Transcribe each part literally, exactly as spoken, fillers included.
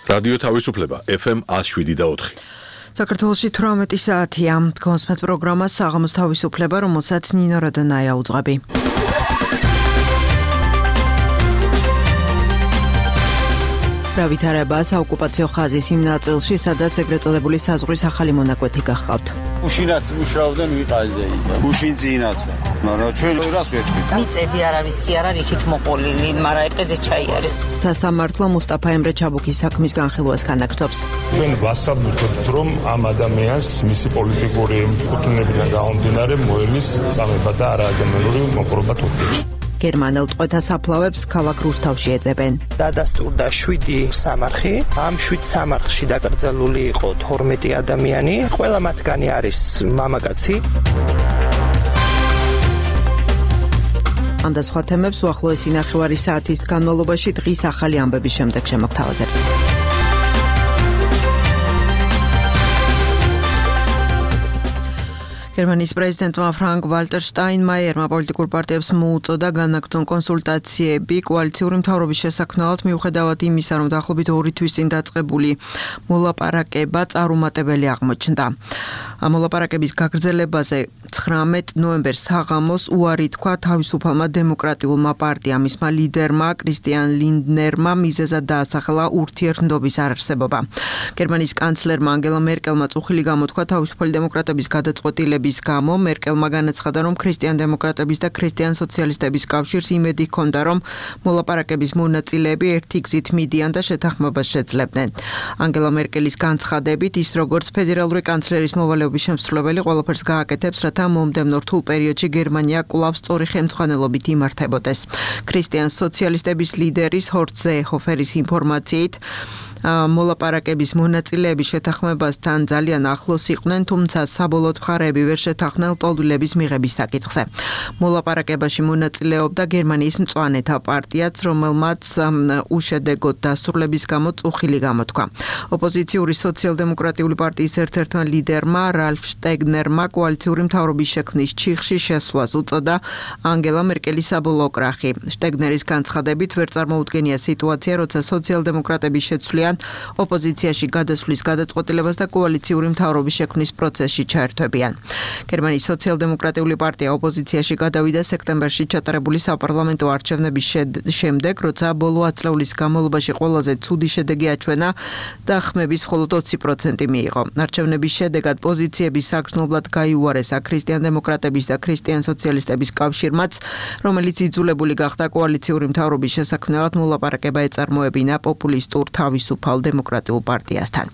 რადიო თავისუფლება F M one oh seven და four. საქართველოში თვრამეტი საათია. გონსმეთ პროგრამა საღამოს თავისუფლება, რომელსაც ნინო როდონაია უძღვები. Pravitareba საოკუპაციო ხაზის იმ ნაწილში, სადაც ეგრეთ წოდებული საზღვრის ახალი მონაკვეთი გახყავთ. Უშინაც მუშაობდნენ ვიყაზე და უშინ წინაც. მაგრამ ჩვენ რას ვეთქვით? მიწები არავისი არ არის იქით მოყოლილი, მაგრამ ეყეზე ჩაი არის. სასამართლო მუსტაფა ემრე ჩაბუქის საქმის განხილვას განაგრძობს. ჩვენ ვასაბუთებთ, რომ ამ ადამიანს მისი პოლიტიკური კუთვნილებიდან გამომდინარე მოელის წამება და არაადამიანური მოპყრობა თურქეთში. გერმანელ ტყვეთა საფლავებს ქალაქ რუსთავში ეძებენ. დადასტურდა შვიდი სამარხი, ამ შვიდ სამარხში დაკრძალული იყო თორმეტი ადამიანი, ყველა მათგანი არის მამაკაცი. ამ და სხვა თემებს უახლოესი ნახევარი საათის განმავლობაში დღის ახალი ამბების შემდეგ შემოგთავაზებთ. გერმანიის პრეზიდენტმა ფრანკ ვალტერ შტაინმაიერმა პოლიტიკურ პარტიებს მოუწოდა განაგრძონ კონსულტაციები კოალიციური მთავრობის შესაქმნელად მიუხედავად იმისა, რომ დაახლოებით ორი თვის წინ დაწყებული მოლაპარაკება წარუმატებელი აღმოჩნდა. მოლაპარაკების გაგრძელებაზე ცხრამეტ ნოემბერს საღამოს უარი თქვა თავისუფალმა დემოკრატიულმა პარტიამ, მისმა ლიდერმა კრისტიან ლინდნერმა მიზეზად დაასახელა ურთიერთმდობის არარსებობა. გერმანიის კანცლერმა ანგელა მერკელმა წუხილი გამოთქვა თავისუფალი დემოკრატების გადაწყვეტილების გამო. მერკელმა განაცხადა, რომ ქრისტიან დემოკრატების და ქრისტიან სოციალისტების კავშირს იმედი ჰქონდა, რომ მოლაპარაკების მონაწილეები ერთი გზით მიდიან და შეთანხმებას შეძლებდნენ. ანგელა მერკელის განცხადებით, ის როგორც ფედერალური კანცლერის მოვალეობის შემსრულებელი ყველაფერს გააკეთებს, რათა მომდევნო რთულ პერიოდში გერმანია კვლავ სწორი ხელმძღვანელობით იმართებოდეს. ქრისტიან სოციალისტების ლიდერის ჰორსტ ზეეჰოფერის ინფორმაციით, მოლაპარაკების მონაწილეები შეთანხმებასთან ძალიან ახლოს იყვნენ, თუმცა საბოლოოდ მხარეები ვერ შეთანხმდნენ ლტოლვილების მიღების საკითხზე. მოლაპარაკებაში მონაწილეობდა გერმანიის მწვანეთა პარტიაც, რომელმაც უშედეგოდ დასრულების გამო წუხილი გამოთქვა. ოპოზიციური სოციალ-დემოკრატიული პარტიის ერთ-ერთმა ლიდერმა რალფ შტეგნერმა კოალიციური მთავრობის შექმნის ჩიხში შესვლას უწოდა ანგელა მერკელის საბოლოო კრახი. შტეგნერის განცხადებით ვერ წარმოუდგენია სიტუაცია, როცა სოციალ-დემოკრატები შეცვლიან ოპოზიციაში გადასვლის გადაწყვეტილებას და კოალიციური მთავრობის შექმნის პროცესში ჩაერთვებიან. გერმანიის სოციალ-დემოკრატიული პარტია ოპოზიციაში გადავიდა სექტემბერში ჩატარებული საპარლამენტო არჩევნების შემდეგ, როცა ბოლო ათწლეულის განმავლობაში ყველაზე ცუდი შედეგი აჩვენა და ხმების მხოლოდ ოცი პროცენტი მიიღო. არჩევნების შედეგად პოზიციების საგრძნობლად გაიუარესა ქრისტიან დემოკრატების და ქრისტიან სოციალისტების კავშირმაც, რომელიც იძულებული გახდა კოალიციური მთავრობის შესაქმნელად მოლაპარაკება ეწარმოებინა პოპულისტურ თავისუფალ დემოკრატიულ პარტიასთან.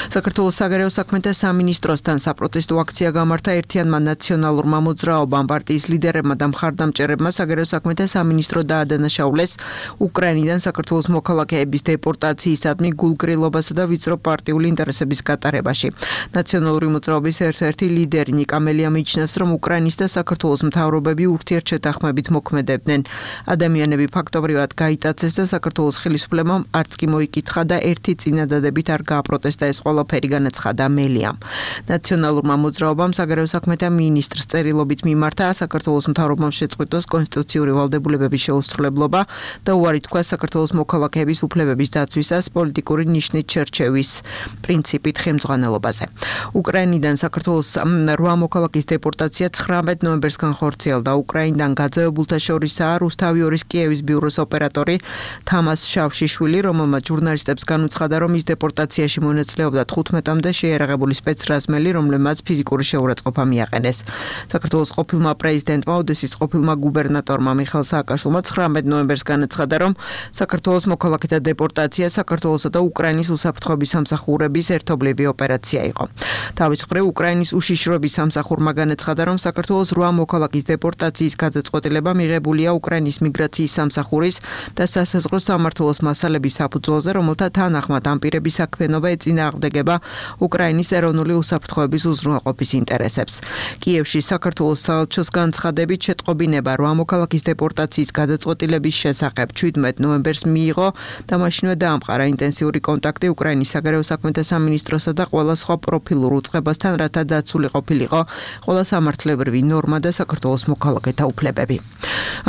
საქართველოს საგარეო საქმეთა სამინისტროსთან საპროტესტო აქცია გამართა ერთიანმა ნაციონალურმა მოძრაობამ, პარტიის ლიდერებმა და მხარდამჭერებმა საგარეო საქმეთა სამინისტრო დაადანაშაულეს უკრაინიდან საქართველოს მოქალაქეების დეპორტაციისადმი გულგრილობასა და ვიწრო პარტიული ინტერესების გატარებაში. ნაციონალური მოძრაობის ერთ-ერთი ლიდერი ნიკა მელია მიიჩნევს, რომ უკრაინის და საქართველოს მთავრობები ურთიერთშეთანხმებით მოქმედებდნენ. ადამიანები ფაქტობრივად გაიტაცეს და საქართველოს ხელისუფლებამ არც კი მოიკითხა და ერთი წინადადებით არ გააპროტესტა ეს ყველაფერი, განაცხადა მელიამ. ნაციონალურმა მოძრაობამ საგარეო საქმეთა მინისტრს წერილობით მიმართა საქართველოს მთავრობამ შეწყვიტოს კონსტიტუციური ვალდებულებების შეუსრულებლობა და უარი თქვა საქართველოს მოქალაქეების უფლებების დაცვისას პოლიტიკური ნიშნით შერჩევის პრინციპით ხელმძღვანელობაზე. უკრაინიდან საქართველოს რვა მოქალაქის დეპორტაცია ცხრამეტ ნოემბერს განხორციელდა. უკრაინიდან გაძევებულთა შორისაა რუსთავი ორის კიევის ბიუროს ოპერატორი თამას შავშიშვილი, რომელმაც ჟურნალისტებს განუცხადა, რომ ის დეპორტაციაში მონაწილეობდა თხუთმეტამდე შეიარაღებული სპეცრაზმელი, რომლებმაც ფიზიკური შეურაცხყოფა მიაყენეს. საქართველოს ყოფილმა პრეზიდენტმა, ოდესის ყოფილმა გუბერნატორმა მიხეილ სააკაშვილმა ცხრამეტ ნოემბერს განაცხადა, რომ საქართველოს მოქალაქეთა დეპორტაცია საქართველოსა და უკრაინის უსაფრთხოების სამსახურების ერთობლივი ოპერაცია იყო. თავის მხრივ უკრაინის უშიშროების სამსახურმა განაცხადა, რომ საქართველოს რვა მოქალაქის დეპორტაციის გადაწყვეტილება მიღებულია უკრაინის მიგრაციის სამსახურის და სასაზღვრო სამმართველოს მასალების საფუძველზე, რომელთა თანახმად ამ პირების საქმიანობა ეწინააღმდეგება უკრაინის ეროვნული უსაფრთხოების უზრუნველყოფის ინტერესებს. კიევში საქართველოს საელჩოს განცხადებით შეტყობინება რვა მოქალაქის დეპორტაციის გადაწყვეტილების შესახებ შვიდმეტ ნოემბერს მიიღო და მაშინვე დაამყარა ინტენსიური კონტაქტი უკრაინის საგარეო საქმეთა სამინისტროსა და ყველა სხვა პროფილურ უწყებასთან, რათა დაცული ყოფილიყო ყველა სამართლებრივი ნორმა და საქართველოს მოქალაქეთა უფლებები.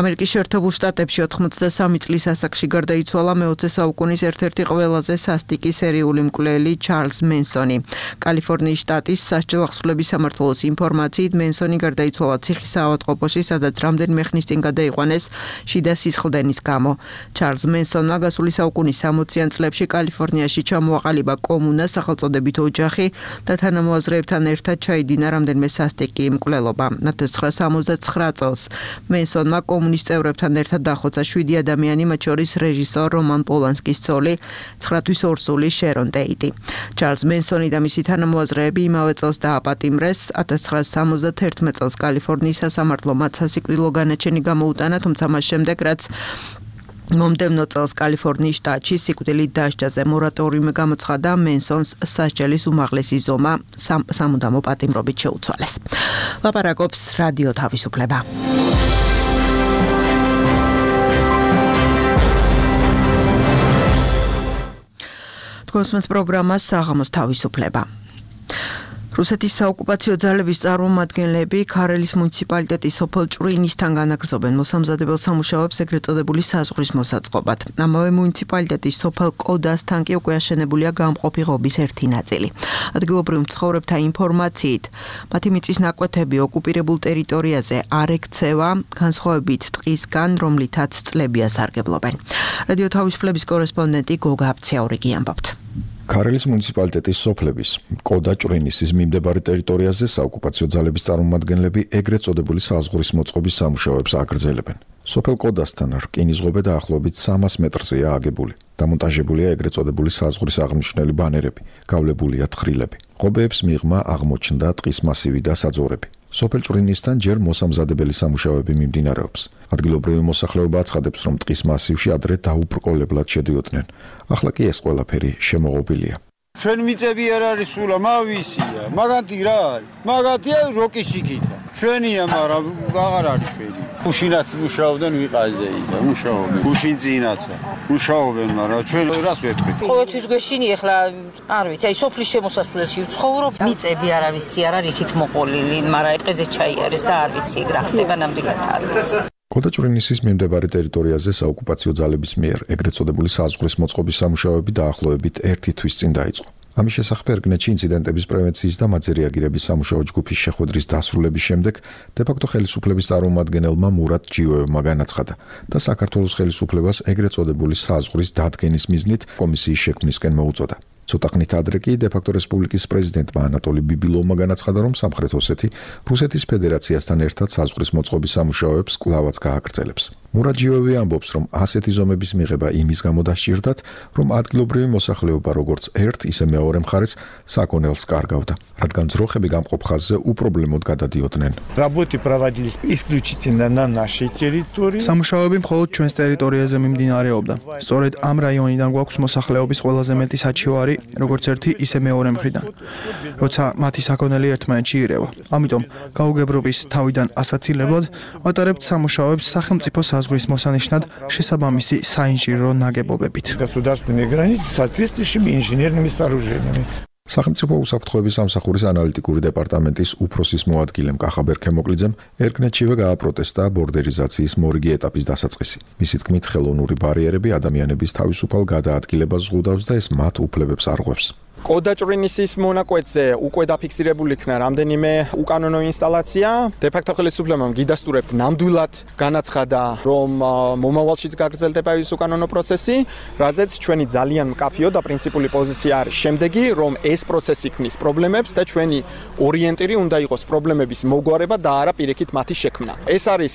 ამერიკის შეერთებულ შტატებში ოთხმოცდასამი წლის ასაკში გარდაიცვალა მეოცე საუკუნის ერთ-ერთი ყველაზე კალიფორნიაზე სასტიკი სერიული მკვლელი ჩარლზ მენსონი. კალიფორნიის შტატის სასჯელ ახსვლების სამმართველოს ინფორმაციით მენსონი გარდაიცვალა ციხის ავადმყოფოში, სადაც რამდენიმე ხნის წინ გადაიყვანეს შიდა სისხლდენის გამო. ჩარლზ მენსონმა გასული საუკუნის სამოციან წლებში კალიფორნიაში ჩამოაყალიბა კომუნა, სახელწოდებით ოჯახი და თანამოაზრეებთან ერთად ჩაიდინა რამდენიმე სასტიკი მკვლელობა. ათას ცხრაასი სამოცდათსაცხრა წელს მენსონმა კომუნის წევრებთან ერთად დახოცა შვიდი ადამიანი, მათ შორის რეჟისორ რომან პოლანსკის ცოლი, ცხრათვის ორსული შერონ ტეიტი. ჩარლზ მენსონი და მისი თანამოაზრეები იმავე წელს დააპატიმრეს. ათას ცხრაასი სამოცდათერთმეტ წელს კალიფორნიის სასამართლომ მათ სასიკვდილო განაჩენი გამოუტანა, თუმცა მას შემდეგ, რაც მომდევნო წელს კალიფორნიის შტატში სიკვდილით დასჯაზე მორატორიუმი გამოცხადა, მენსონს სასჯელის უმაღლესი ზომა სამუდამო პატიმრობით შეუცვალეს. ლაპარაკობს რადიო თავისუფლება. თქვენს პროგრამას საღამოს თავისუფლება. რუსეთის საოკუპაციო ძალების წარმომადგენლები ქარელის მუნიციპალიტეტის სოფელ ჭვრინისთან განაგრძობენ მოსამზადებელ სამუშაოებს ეგრეთ წოდებული საზღვრის მოსაწყობად. ამავე მუნიციპალიტეტის სოფელ კოდასთან კი უკვე აშენებულია გამყოფი ღობის ერთი ნაწილი. ადგილობრივ მცხოვრებთა ინფორმაციით, მათი მიწის ნაკვეთები ოკუპირებულ ტერიტორიაზე არ ექცევა, განსხვავებით ტყისგან, რომლითაც წლები ასარგებლობენ. რადიო თავისუფლების კორესპონდენტი გოგა აფციაურიგი ამბობთ. ქარელის მუნიციპალიტეტის სოფლების კოდა ჭვრინისის მიმდებარე ტერიტორიაზე საოკუპაციო ძალების წარმომადგენლები ეგრეთ წოდებული საზღვრის მოწყობის სამუშაოებს აგრძელებენ. სოფელ კოდასთან რკინისღობე დაახლოებით სამას მეტრზეა აგებული. დამონტაჟებულია ეგრეთ წოდებული საზღვრის აღმნიშვნელი ბანერები, გავლებულია თხრილები. ღობეებს მიღმა აღმოჩნდა ტყის მასივი და საძოვრები. სოფელ ჭვრინისთან ჯერ მოსამზადებელი სამუშაოები მიმდინარეობს. ადგილობრივი მოსახლეობა აცხადებს, რომ ტყის მასივში ადრე დაუბრკოლებლად შედიოდნენ. ახლა კი ეს ყველაფერი შემოღობილია. ჩვენ მიწები არ არის სულა, მავისია, მაგათი რა არის? მაგათია როკის ჩიკიტა. ჩვენია, მაგრამ აღარ არის ჩვენი. უშინაც მუშაობდნენ ვიყაზეი და მუშაობენ. უშინ წინაცა. მუშაობენ, მაგრამ ჩვენ რას ვეთქვით? ყოველთვის გვეშინი ახლა არ ვიცი, აი სოფლის შემოსასვლელში ვცხოვრობ, მიწები არავისი არ არის იქით მოყოლილი, მაგრამ ეყეზე ჩაი არის და არ ვიცი ეგ რა ხდება ნამდვილად არ ვიცი. კოდა ჭვრინისის მიმდებარე ტერიტორიაზე საოკუპაციო ძალების მიერ ეგრეთ წოდებული საზღვრის მოწყობის სამუშაოები დაახლოებით ერთი თვის წინ დაიწყო. ამის შესახებ ერგნეთში ინციდენტების პრევენციის და მათზე რეაგირების სამუშაო ჯგუფის შეხვედრის დასრულების შემდეგ დე-ფაქტო ხელისუფლების წარმომადგენელმა მურატ ჯიოევმა განაცხადა და საქართველოს ხელისუფლებას ეგრეთ წოდებული საზღვრის დადგენის მიზნით კომისიის შექმნისკენ მოუწოდა. ცოტა ხნით ადრე კი დე-ფაქტო რესპუბლიკის პრეზიდენტმა ანატოლი ბიბილოვმა განაცხადა, რომ სამხრეთ ოსეთი რუსეთის ფედერაციასთან ერთად საზღვრის მოწყობის სამუშაოებს კვლავაც გააგრძელებს. მურატ ჯიოევი ამბობს, რომ ასეთი ზომების მიღება იმის გამო დასჭირდათ, რომ ადგილობრივი მოსახლეობა როგორც ერთ, ისე მეორე მხარეს საკონელს კარგავდა, რადგან ძროხები გამყოფ ხაზზე უპრობლემოდ გადადიოდნენ. Работы проводились исключительно на нашей территории. სამუშაოები მხოლოდ ჩვენს ტერიტორიაზე მიმდინარეობდა. სწორედ ამ რაიონიდან გვაქვს მოსახლეობის ყველაზე მეტი საჩივარი, როგორც ერთი, ისე მეორე მხრიდან. როცა მათი საკონელი ერთმანეთში ირევა. ამიტომ გაუგებრობის თავიდან ასაცილებლად ვატარებთ სამუშაოებს სახელმწიფო საზღვრის მოსანიშნად შესაბამისი საინჟინრო ნაგებობებით. Государственные границы с соответствующими инженерными сооружениями. სახელმწიფო უსაფრთხოების სამსახურის ანალიტიკური დეპარტამენტის უფროსის მოადგილემ კახაბერ ქემოკლიძემ ერგნეთშივე გააპროტესტა ბორდერიზაციის მორიგი ეტაპის დასაწყისი. მისი თქმით, ხელოვნური ბარიერები ადამიანების თავისუფალ გადაადგილებას ზღუდავს და ეს მათ უფლებებს არღვევს. კოდა ჭვრინისის მონაკვეთზე უკვე დაფიქსირებული იქნა რამდენიმე უკანონო ინსტალაცია. დე-ფაქტო ხელისუფლებამ გიდასტურებთ ნამდვილად განაცხადა, რომ მომავალშიც გაგრძელდება ის უკანონო პროცესი, რაზეც ჩვენი ძალიან მკაფიო და პრინციპული პოზიცია არის შემდეგი, რომ ეს პროცესი ქმნის პრობლემებს და ჩვენი ორიენტირი უნდა იყოს პრობლემების მოგვარება და არა პირიქით მათი შექმნა. ეს არის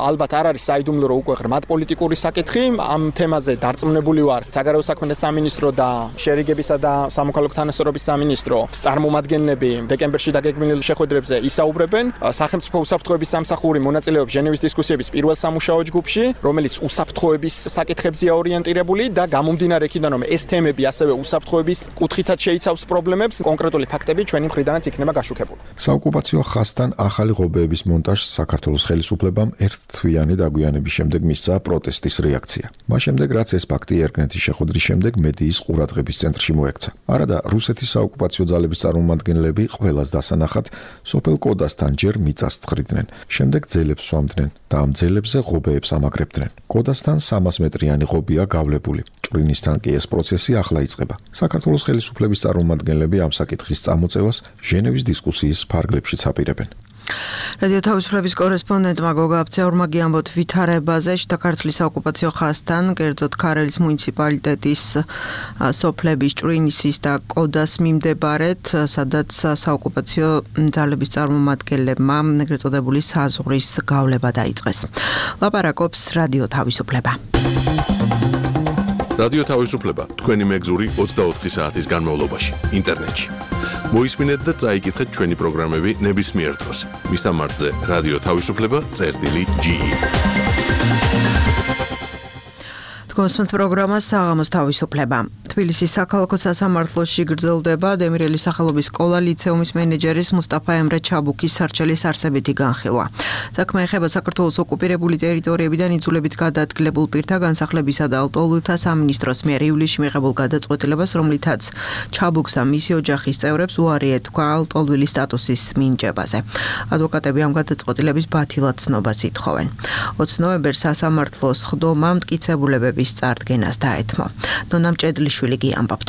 ალბათ არ არის საიდუმლო, რომ უკვე ღრმად პოლიტიკური საკითხი. ამ თემაზე დარწმუნებული ვარ საგარეო საქმეთა სამინისტრო და შერიგებისა და სამოქალაქო თანასწორობის სამინისტრო წარმომადგენლები დეკემბერში დაგეგმილ შეხვედრებზე ისაუბრებენ. სახელმწიფო უსაფრთხოების სამსახური მონაწილეობს ჟენევის დისკუსიების პირველ სამუშაო ჯგუფში, რომელიც უსაფრთხოების საკითხებზეა ორიენტირებული და გამომდინარე იქიდან, რომ ეს თემები ასევე უსაფრთხოების კუთხითაც შეიცავს პრობლემებს, კონკრეტული ფაქტები ჩვენი მხრიდანაც იქნება გაშუქებული. საოკუპაციო ხაზთან ახალი ღობეების მონტაჟს საქართველოს ხელისუფლებამ ერთთვიანი დაგვიანების შემდეგ მისცა პროტესტის რეაქცია. მას შემდეგ, რაც ეს ფაქტი ერგნეთის შეხვედრის შემდეგ მედიის ყურადღების ცენტრში მოექცა. არა და რუსეთის საოკუპაციო ძალების წარმომადგენლები ყველას დასანახად სოფელ კოდასთან ჯერ მიწას თხრიდნენ. შემდეგ ძელებს სვამდნენ და ამ ძელებზე ღობეებს ამაგრებდნენ. კოდასთან სამას მეტრიანი ღობეა გავლებული. ჭვრინისთან კი ეს პროცესი ახლა იწყება. საქართველოს ხელისუფლების წარმომადგენლები ამ საკითხის წამოწევას ჟენევის დისკუსიის ფარგლებშიც აპირებენ. რადიო თავისუფლების კორესპონდენტმა გოგა აბცეურმა გიამბოთ ვითარებაზე საქართველოს საოკუპაციო ხაზთან, კერძოდ ქარელის მუნიციპალიტეტის სოფლების ჭვრინისის და კოდას მიმდებარედ, სადაც საოკუპაციო ძალების წარმომადგენლებმა ეგრეთ წოდებული საზღვრის გავლება დაიწყეს. ლაპარაკობს რადიო თავისუფლება. რადიო თავისუფლება თქვენი მეგზური ოცდაოთხი საათის განმავლობაში ინტერნეტში. მოისმინეთ და წაიკითხეთ ჩვენი პროგრამები ნებისმიერ დროს. მისამართზე რადიო თავისუფლება წერტილი ჯი ი. თქვენს პროგრამას საღამოს თავისუფლება. თბილისის საქალაქო სასამართლოში გრძელდება დემირელის სახელობის სკოლა ლიცეუმის მენეჯერის მუსტაფა ემრე ჩაბუქის სარჩელის არსებითი განხილვა. საქმე ეხება საქართველოს ოკუპირებული ტერიტორიებიდან იძულებით გადაადგილებულ პირთა განსახლებისა და ლტოლვილთა სამინისტროს მიერ ივლისში მიღებულ გადაწყვეტილებას, რომლითაც ჩაბუქს და მისი ოჯახის წევრებს უარი ეთქვა ლტოლვილის სტატუსის მინიჭებაზე. ადვოკატები ამ გადაწყვეტილების ბათილად ცნობას ითხოვენ. ოცი ნოემბერს სასამართლოს ხდომა მტკიცებულებების წარდგენას დაეთმო. ნონა მჭედლიშვილი გიამბობთ.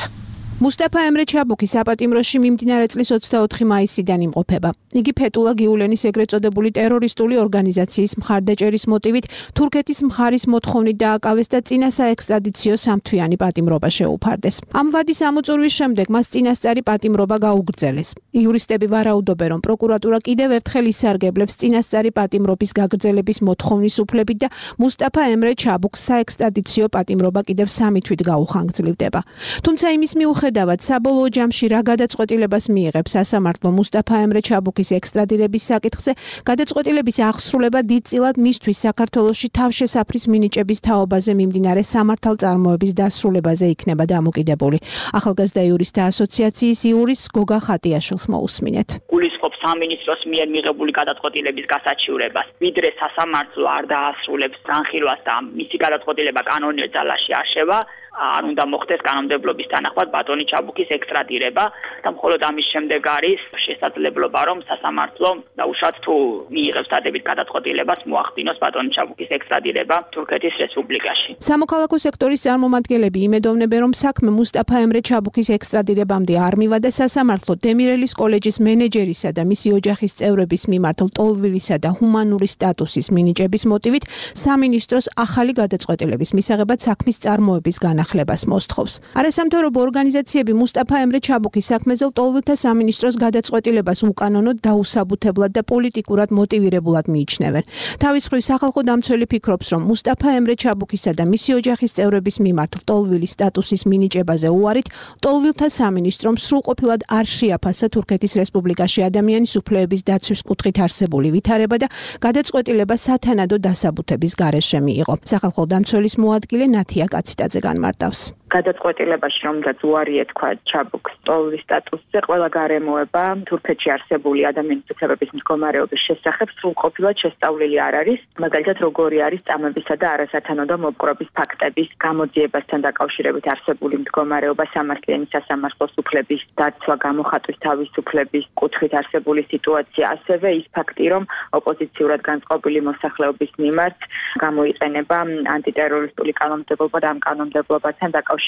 მუსტაფა ემრე ჩაბუქი საპატიმროში მიმდინარე წლის ოცდაოთხი მაისიდან იმყოფება. იგი ფეტულა გიულენის ეგრეთ წოდებული ტერორისტული ორგანიზაციის მხარდაჭერის მოტივით თურქეთის მხარის მოთხოვნით დააკავეს და წინა საექსტრადიციო სამთვიანი პატიმრობა შეუფარდეს. ამ ვადის ამოწურვის შემდეგ მას წინასწარი პატიმრობა გაუგრძელეს. იურისტები ვარაუდობენ, რომ პროკურატურა კიდევ ერთხელ ისარგებლებს წინასწარი პატიმრობის გაგრძელების მოთხოვნის უფლებით და მუსტაფა ემრე ჩაბუქს საექსტრადიციო პატიმრობა კიდევ სამი თვით გაუხანგრძლივდება. თუმცა იმის მიუხედავად დავად საბოლოო ჯამში რა გადაწყვეტილებას მიიღებს სასამართლო მუსტაფა ემრე ჩაბუქის ექსტრადირების საკითხზე, გადაწყვეტილების აღსრულება დიდწილად მისთვის საქართველოში თავშესაფრის მინიჭების თაობაზე მიმდინარე სამართალწარმოების დასრულებაზე იქნება დამოკიდებული. ახალგაზრდა იურისტთა ასოციაციის იურის გოგა ხატიაშვილს მოусმინეთ. გულისხმობს სამინისტროს მიერ მიღებული გადაწყვეტილების გასაჩივრებას, ვიდრე სასამართლო არ დაასრულებს განხილვას და მისი გადაწყვეტილება კანონიერ ძალაში აღშევა, არ უნდა მოხდეს კანონმდებლობის თანახმად ბატონი ჩაბუქის ექსტრადირება და მხოლოდ ამის შემდეგ არის შესაძლებლობა, რომ სასამართლო დაუშვათ თუ მიიღებს დადებით გადაწყვეტილებას მოახდინოს ბატონი ჩაბუქის ექსტრადირება თურქეთის რესპუბლიკაში. სამოქალაქო სექტორის წარმომადგენლები იმედოვნებენ, რომ საქმე მუსტაფა ემრე ჩაბუქის ექსტრადირებამდე არ მივა და სასამართლო დემირელის კოლეჯის მენეჯერისა და მისი ოჯახის წევრების მიმართ ლტოლვილისა და ჰუმანური სტატუსის მინიჭების მოტივით სამინისტროს ახალი გადაწყვეტილების მისაღებად საქმის წარმოების განახლებას მოსთხოვს. არასამთავრობო ორგანიზაციები მუსტაფა ემრე ჩაბუქის საქმეზე ლტოლვილთა სამინისტროს გადაწყვეტილებას უკანონოდ, დაუსაბუთებლად და პოლიტიკურად მოტივირებულად მიიჩნევენ. თავის მხრივ სახალხო დამცველი ფიქრობს, რომ მუსტაფა ემრე ჩაბუქისა და მისი ოჯახის წევრების მიმართ ლტოლვილის სტატუსის მინიჭებაზე უარით ლტოლვილთა სამინისტრომ სრულყოფილად არ შეაფასა თურქეთის რესპუბლიკაში ადამიანის უფლებების დაცვის კუთხით არსებული ვითარება და გადაწყვეტილება სათანადო დასაბუთების გარეშე მიიღო. სახალხო დამცველის მოადგილე ნათია კაციტაძე განმარტავს. გადაწყვეტილებაში რომაც უარი ეთქვა ჩაბუქს ლტოლვილის სტატუსზე, ყველა გარემოება თურქეთში არსებული ადამიანის უფლებების მდგომარეობის შესახებ სრულყოფილად შესწავლილი არ არის. მაგალითად, როგორი არის წამებისა და არასათანადო მოპყრობის ფაქტების გამოძიებასთან დაკავშირებით არსებული მდგომარეობა, სამართლიანი სასამართლოს უფლების დაცვა, გამოხატვის თავისუფლების კუთხით არსებული სიტუაცია, ასევე ის ფაქტი, რომ ოპოზიციურად განწყობილი მოსახლეობის მიმართ გამოიყენება ანტიტერორისტული კანონმდებლობა და ამ კანონმდებლობასთან დაკავშირებით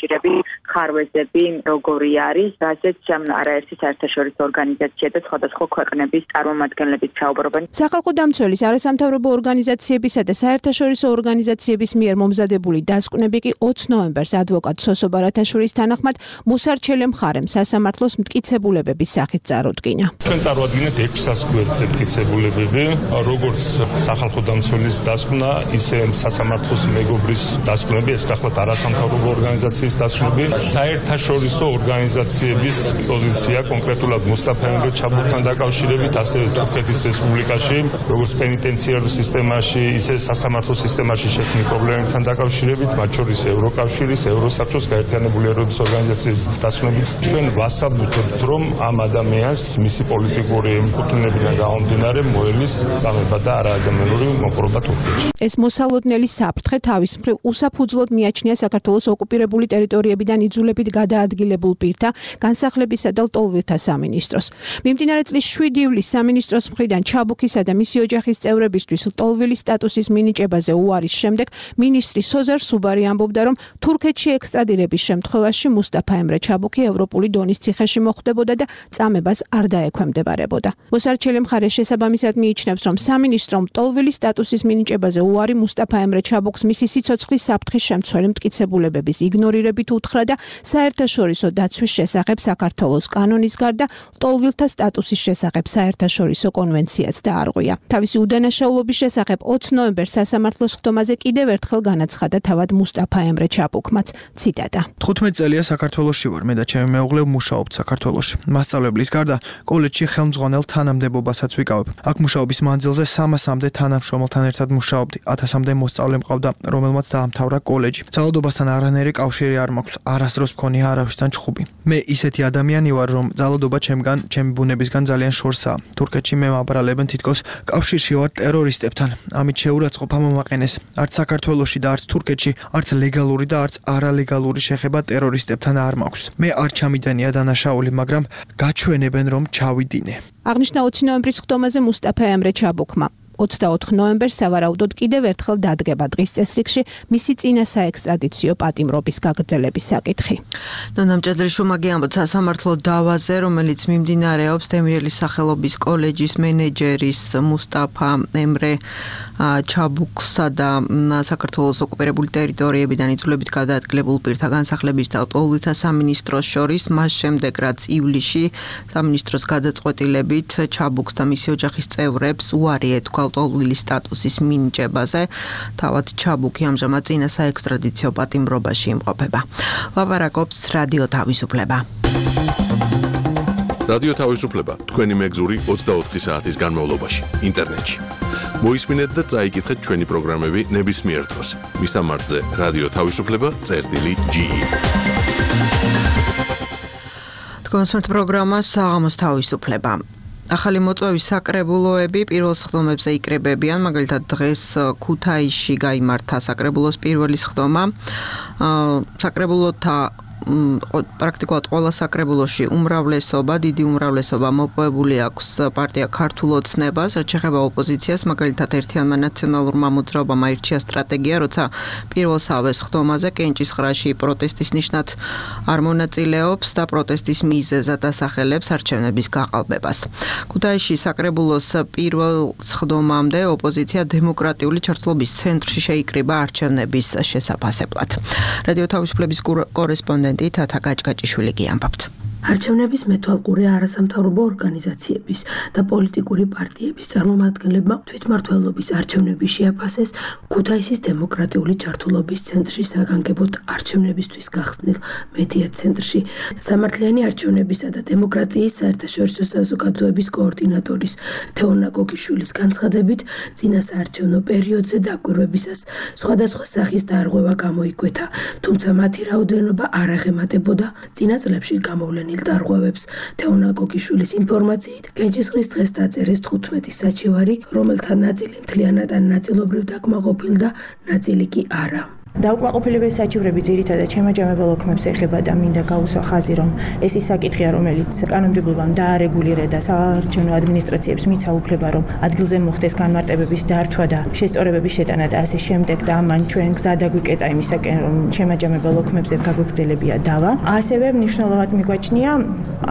ხარვეზები როგორი არის, რაზეც არაერთი საერთაშორისო ორგანიზაცია და სხვადასხვა ქვეყნების წარმომადგენლები საუბრობენ. სახალხო დამცველის, არასამთავრობო ორგანიზაციებისა და საერთაშორისო ორგანიზაციების მიერ მომზადებული დასკვნები კი ოცი ნოემბერს ადვოკატ სოსო ბარათაშვილის თანახმად მოსარჩელე მხარემ სასამართლოს მტკიცებულებების სახით წარუდგინა. ჩვენ წარვადგინეთ ექვსას გვერდზე მტკიცებულებები, როგორც სახალხო დამცველის დასკვნა, ისე სასამართლოს მეგობრის დასკვნები, ეს გახლავთ არასამთავრობო ორგანიზაციის დასკვნები, საერთაშორისო ორგანიზაციების პოზიცია კონკრეტულად მუსტაფა ემრე ჩაბუქთან დაკავშირებით, ასევე თურქეთის რესპუბლიკაში, როგორც პენიტენციარულ სისტემაში, ისე სასამართლო სისტემაში შექმნილ პრობლემებთან დაკავშირებით, მათ შორის ევროკავშირის, ევროსაბჭოს, გაერთიანებული ერების ორგანიზაციის დასკვნებით, ჩვენ ვასაბუთებთ, რომ ამ ადამიანს მისი პოლიტიკური კუთვნილებიდან გამომდინარე მოელის წამება და არაადამიანური მოპყრობა თურქეთში. ეს მოსალოდნელი საფრთხე თავის მხრივ უსაფუძვლოდ მიაჩნია საქართველოს ოკუპირებული ტერიტორიებიდან იძულებით გადაადგილებულ პირთა, განსახლებისა და ლტოლვილთა სამინისტროს. მიმდინარე წლის შვიდი ივლისს სამინისტროს მხრიდან ჩაბუქისა და მისი ოჯახის წევრებისთვის ლტოლვილის სტატუსის მინიჭებაზე უარის შემდეგ მინისტრი სოზარ სუბარი ამბობდა, რომ თურქეთში ექსტრადირების შემთხვევაში მუსტაფა ემრე ჩაბუქი ევროპული დონის ციხეში მოხვდებოდა და წამებას არ დაექვემდებარებოდა. მოსარჩელი მხარე შესაბამისად მიიჩნევს, რომ სამინისტრომ ლტოლვილის სტატუსის მინიჭებაზე უარი მუსტაფა ემრე ჩაბუქს მისი სიცოცხლის საფრთხის შემცველი მტკიცებულებების იგნორირებით უთხრა და საერთაშორისო დაცვის შესახებ საქართველოს კანონის გარდა ლტოლვილთა სტატუსის შესახებ საერთაშორისო კონვენციაც დაარღვია. თავისი უდანაშაულობის შესახებ ოცი ნოემბერს სასამართლოს ხდომაზე კიდევ ერთხელ განაცხადა თავად მუსტაფა ემრე ჩაბუქმაც. ციტატა. თხუთმეტი წელია საქართველოში ვარ, მე და ჩემი მეუღლე ვმუშაობთ საქართველოში. მასწავლებლის გარდა კოლეჯში ხელმძღვანელ თანამდებობასაც ვიკავებ. აქ მუშაობის მანძილზე სამასამდე თანამშრომელთან ერთად მუშაობდი. ათასამდე მოსწავლე მყავდა, რომელმაც დაამთავრა კოლეჯი. ძალადობასთან არანაირი კავშირი არ მაქვს. არასდროს მქონია არავისთან ჩხუბი. მე ისეთი ადამიანი ვარ, რომ ძალადობა ჩემგან, ჩემი ბუნებისგან ძალიან შორსაა. თურქეთში მე მაბრალებენ თითქოს კავშირში ვარ ტერორისტებთან. ამით შეურაცხყოფა მომაყენეს. არც საქართველოში და არც თურქეთში, არც ლეგალური და არც არალეგალური შეხება ტერორისტებთან არ მაქვს. მე არ ჩამიდანია დანაშაული, მაგრამ გაჩვენებენ, რომ ჩავიდინე. აღნიშნა ოცი ნოემბრის ხდომაზე მუსტაფა ემრე ჩაბუქმა. ოცდაოთხი ნოემბერს სავარაუდოდ კიდევ ერთხელ დადგება დღის წესრიგში მისი წინა საექსტრადიციო პატიმრობის გაგრძელების საკითხი. ნონა მჭედრიშვილმა ამბობს სასამართლო დავაზე, რომელიც მიმდინარეობს დემირელის სახელობის კოლეჯის მენეჯერის მუსტაფა ემრე ჩაბუქსა და საქართველოს ოკუპირებული ტერიტორიებიდან იძულებით გადაადგილებულ პირთა განსახლების და ლტოლვილთა სამინისტროს შორის, მას შემდეგ რაც ივლისში სამინისტროს გადაწყვეტილებით ჩაბუქს და მისი ოჯახის წევრებს უარი ეთქვა ლტოლვილის სტატუსის მინიჭებაზე, თავად ჩაბუქი ამჟამად წინა საექსტრადიციო პატიმრობაში იმყოფება. ლაპარაკობს რადიო თავისუფლება. რადიო თავისუფლება თქვენი მეგზური ოცდაოთხი საათის განმავლობაში ინტერნეტში. მოისმინეთ და წაიკითხეთ ჩვენი პროგრამები ნებისმიერ დროს. მისამართზე რადიო თავისუფლება წერტილი ჯი. თქვენს პროგრამა საღამოს თავისუფლება. ახალი მოწვევის საკრებულოები პირველ სხდომებზე იკრებებიან, მაგალითად დღეს ქუთაისში გაიმართა საკრებულოს პირველი სხდომა. საკრებულოთა პრაქტიკულად ყველა საკრებულოში უმრავლესობა, დიდი უმრავლესობა მოპოვებული აქვს პარტია ქართულ ოცნებას, რაც შეეხება ოპოზიციას, მაგალითად ერთიანმა ნაციონალურმა მოძრაობამ აირჩია სტრატეგია, როცა პირველსავე სხდომაზე კენჭისყრაში პროტესტის ნიშნად არ მონაწილეობს და პროტესტის მიზეზად ასახელებს არჩევნების გაყალბებას. ქუთაისში საკრებულოს პირველ სხდომამდე ოპოზიცია დემოკრატიული ჩართულობის ცენტრში შეიკრიბა არჩევნების შესაფასებლად. რადიო თავისუფლების კორესპონდენტი თათა გაჭგაჭიშვილი გიამბობთ. არჩევნების მეთვალყურე არასამთავრობო ორგანიზაციების და პოლიტიკური პარტიების წარმომადგენლებმა თვითმმართველობის არჩევნები შეაფასეს ქუთაისის დემოკრატიული ჩართულობის ცენტრში საგანგებოდ არჩევნებისთვის გახსნილ მედია ცენტრში. სამართლიანი არჩევნებისა და დემოკრატიის საერთაშორისო საზოგადოების კოორდინატორის თეონა გოგიშვილის განცხადებით, წინა საარჩევნო პერიოდზე დაკვირვებისას სხვადასხვა სახის დარღვევა გამოიკვეთა, თუმცა მათი რაოდენობა არ აღემატებოდა წინა წლებში გამოვლენილ დარღვევებს. თეონა გოგიშვილის ინფორმაციით, კენჭისყრის დღეს დაწერეს თხუთმეტი საჩივარი, რომელთა ნაწილი მთლიანად ან ნაწილობრივ დაკმაყოფილ და ნაწილი კი არა. დაუკმაყოფილების საჩივრები ძირითადად შემაჯამებელ ოქმებს ეხება და მინდა გაუსვა ხაზი, რომ ეს ის საკითხია, რომელიც კანონმდებლობამ დაარეგულირა და საარჩევნო ადმინისტრაციებს მიცა უფლება, რომ ადგილზე მოხდეს განმარტებების დართვა და შესწორებების შეტანა და ასე შემდეგ და ამან ჩვენ გზა დაგვიკეტა იმისაკენ, რომ შემაჯამებელ ოქმებზე გაგვეგრძელებია დავა. ასევე მნიშვნელოვნად მიგვაჩნია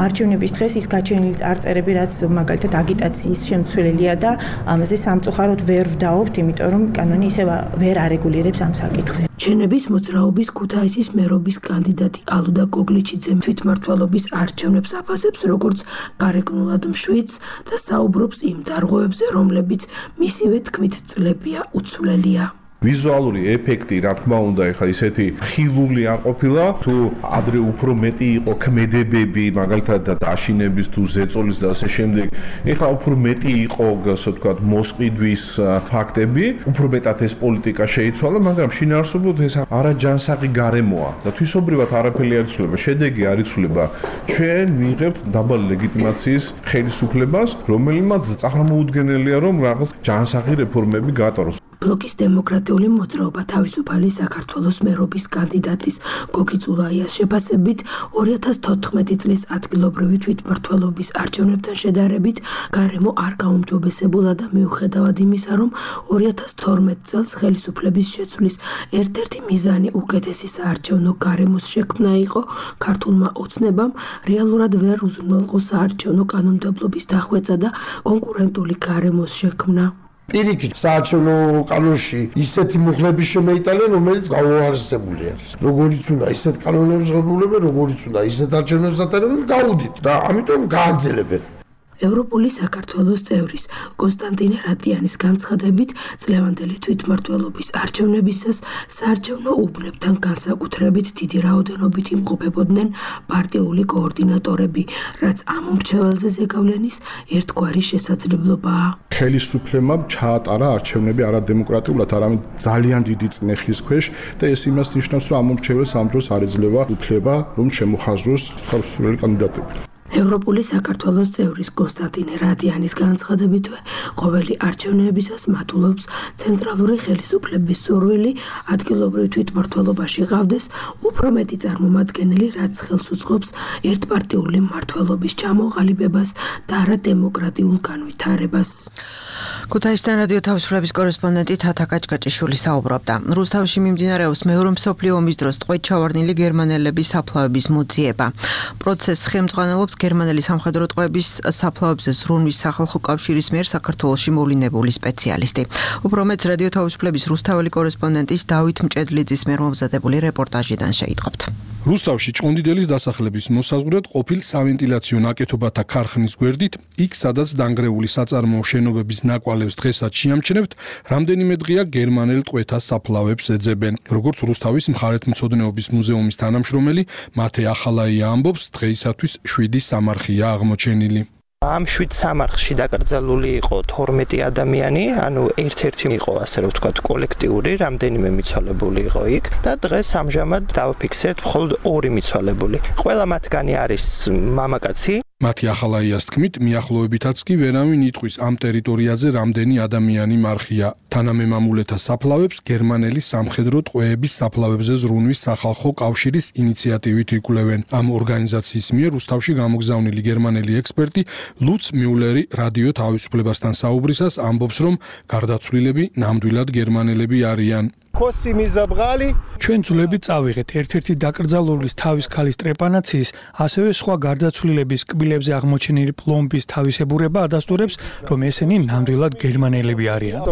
არჩევნების დღეს ის გაჩენილი წარწერები, რაც მაგალითად აგიტაციის შემცველია და ამაზე სამწუხაროდ ვერ ვდაობთ, იმიტომ რომ კანონი ისევ ვერ არეგულირებს ამ საკითხს. ჩენების მოძრაობის ქუთაისის მერობის კანდიდატი ალუდა გოგლიჩიძე თვითმმართველობის არჩევნებს აფასებს როგორც გარეგნულად მშვიდს და საუბრობს იმ დარღვევებზე, რომლებიც მისივე თქმით წლებია უცვლელია. ვიზუალური ეფექტი, რა თქმა უნდა, ეხლა ისეთი ხილული არ ყოფილა, თუ ადრე უფრო მეტი იყო ქმედებები, მაგალითად დაშინების თუ ზეწოლის და ასე შემდეგ. ეხლა უფრო მეტი იყო, ასე ვთქვათ, მოსყიდვის ფაქტები, უფრო მეტად ეს პოლიტიკა შეიცვალა, მაგრამ შინაარსობრივად ეს არაჯანსაღი გარემოა და თვისობრივად არაფერი არ იცვლება, შედეგი არ იცვლება. ჩვენ მიიღებთ დაბალი ლეგიტიმაციის ხელისუფლებას, რომელმაც წაღრმოუდგენელია, რომ რაღაც ჯანსაღი რეფორმები გატაროს. ბლოკის დემოკრატიული მოძრაობა თავისუფალი საქართველოს მერობის კანდიდატის გოგი წულაიას შეფასებით ორი ათას თოთხმეტი წლის ადგილობრივი თვითმმართველობის არჩევნებთან შედარებით გარემო არ გაუმჯობესებულა და მიუხედავად იმისა, რომ ორი ათას თორმეტ წელს ხელისუფლების შეცვლის ერთ-ერთი მიზანი უკეთესი საარჩევნო გარემოს შექმნა იყო, ქართულმა ოცნებამ რეალურად ვერ უზრუნველყო საარჩევნო კანონმდებლობის დახვეწა და კონკურენტული გარემოს შექმნა. პირიქით საარჩევნო კანონში ისეთი მუხლები შემეიტანენ, რომელიც გაუარესებული არის. როგორიც უნდა ისეთ კანონებს ღებულებენ, როგორიც უნდა ისეთ არჩევნებს ატარებენ, გაუდით და ამიტომ გააგრძელებენ. ევროპული საქართველოს წევრის კონსტანტინე რატიანის განცხადებით წლევანდელი თვითმმართველობის არჩევნებისას საარჩევნო უბნებთან განსაკუთრებით დიდი რაოდენობით იმყოფებოდნენ პარტიული კოორდინატორები, რაც ამ მრჩეველზე ზეგავლენის ერთგვარი შესაძლებლობაა. ხელისუფლებამ ჩაატარა არჩევნები არადემოკრატიულად, არამედ ძალიან დიდი წნეხის ქვეშ და ეს იმას ნიშნავს, რომ ამ მრჩეველს ამ დროს არ ეძლევა უფლება, რომ შემოხაზროს ხელისუფლების კანდიდატები. ევროპული საქართველოს წევრის კონსტანტინე რატიანის განცხადებითვე ყოველი არჩევნებისას მატულობს ცენტრალური ხელისუფლების სურვილი ადგილობრივ თვითმმართველობაში ყავდეს უფრო მეტი წარმომადგენელი, რაც ხელს უწყობს ერთპარტიული მმართველობის ჩამოყალიბებას და არა დემოკრატიულ განვითარებას. ქუთაისიდან რადიო თავისუფლების კორესპონდენტი თათა კაჭკაჭიშვილი საუბრობდა. რუსთავში მიმდინარეობს მეორე მსოფლიო ომის დროს ტყვედ ჩავარდნილი გერმანელების საფლავების მოძიება. პროცესს ხელმძღვანელობს გერმანელი სამხედრო ტყვეების საფლავებზე ზრუნვის სახალხო კავშირის მიერ საქართველოში მოვლინებული სპეციალისტი. უფრო მეტს რადიო თავისუფლების რუსთაველი კორესპონდენტის დავით მჭედლიძის მიერ მომზადებული რეპორტაჟიდან შეიტყობთ. რუსთავში ჭყონდიდელის დასახელების მოსაზღვრად ყოფილ სავენტილაციო ნაკეთობათა ქარხნის გვერდით, იქ სადაც დანგრეული საწარმოო შენობების ნაკვალევს დღესაც შეამჩნევთ, რამდენიმე დღეა გერმანელ ტყვეთა საფლავებს ეძებენ. როგორც რუსთავის მხარეთმცოდნეობის მუზეუმის თანამშრომელი მათე ახალაია ამბობს, დღეისათვის შვიდი სამარხია აღმოჩენილი. ამ შვიდ სამარხში დაკრძალული იყო თორმეტი ადამიანი, ანუ ერთ-ერთი იყო, ასე რომ ვთქვათ, კოლექტიური, რამდენიმე მიცვალებული იყო იქ და დღეს ამჟამად დავფიქსერთ მხოლოდ ორი მიცვალებული. ყველა მათგანი არის მამაკაცი. მათი ახალაიას თქმით, მიახლოებითაც კი ვერავინ იტყვის ამ ტერიტორიაზე რამდენი ადამიანი მარხია. თანამემამულეთა საფლავებს გერმანელი სამხედრო ტყვეების საფლავებზე ზრუნვის სახალხო კავშირის ინიციატივით იკვლევენ. ამ ორგანიზაციის მიერ რუსთავში გამოგზავნილი გერმანელი ექსპერტი ლუც მიულერი რადიო თავისუფლებასთან საუბრისას ამბობს, რომ გარდაცვლილები ნამდვილად გერმანელები არიან. ჩვენ ძვლები წავიღეთ ერთ-ერთი დაკრძალულის თავის ქალის ტრეპანაციის, ასევე სხვა გარდაცვლილების კბილებზე აღმოჩენილი პლომბის თავისებურება ადასტურებს, რომ ესენი ნამდვილად გერმანელები არიან.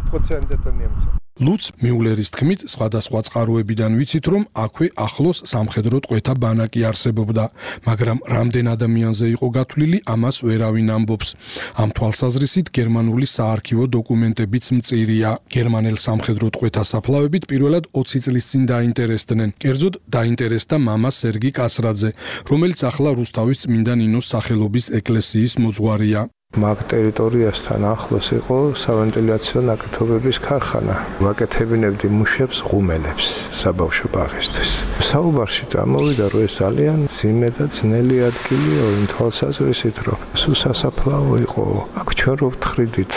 ლუც მიულერის თქმით, სხვადასხვა წყაროებიდან ვიცით, რომ აქვე ახლოს სამხედრო ტყვეთა ბანაკი არსებობდა, მაგრამ რამდენ ადამიანზე იყო გათვლილი, ამას ვერავინ ამბობს. ამ თვალსაზრისით გერმანული საარქივო დოკუმენტებიც მწირია. გერმანელ სამხედრო ტყვეთა საფლავებით პირველად ოცი წლის წინ დაინტერესდნენ. კერძოდ დაინტერესდა მამა სერგი კაცრაძე, რომელიც ახლა რუსთავის წმინდა ნინოს სახელობის ეკლესიის მოძღვარია. მაგ ტერიტორიასთან ახლოს იყო სავენტილაციო ნაკეთობების ქარხანა. ვაკეთებინებდი მუშებს, ღუმელებს საბავშვო ბაღისთვის. საუბარში წამოვიდა, რომ ეს ძალიან ძიმე და ძნელი ადგილია, იმ თვალსაზრისით, რომ სულ სასაფლაო იყო. აქ ჩვენ რო ვთხრიდით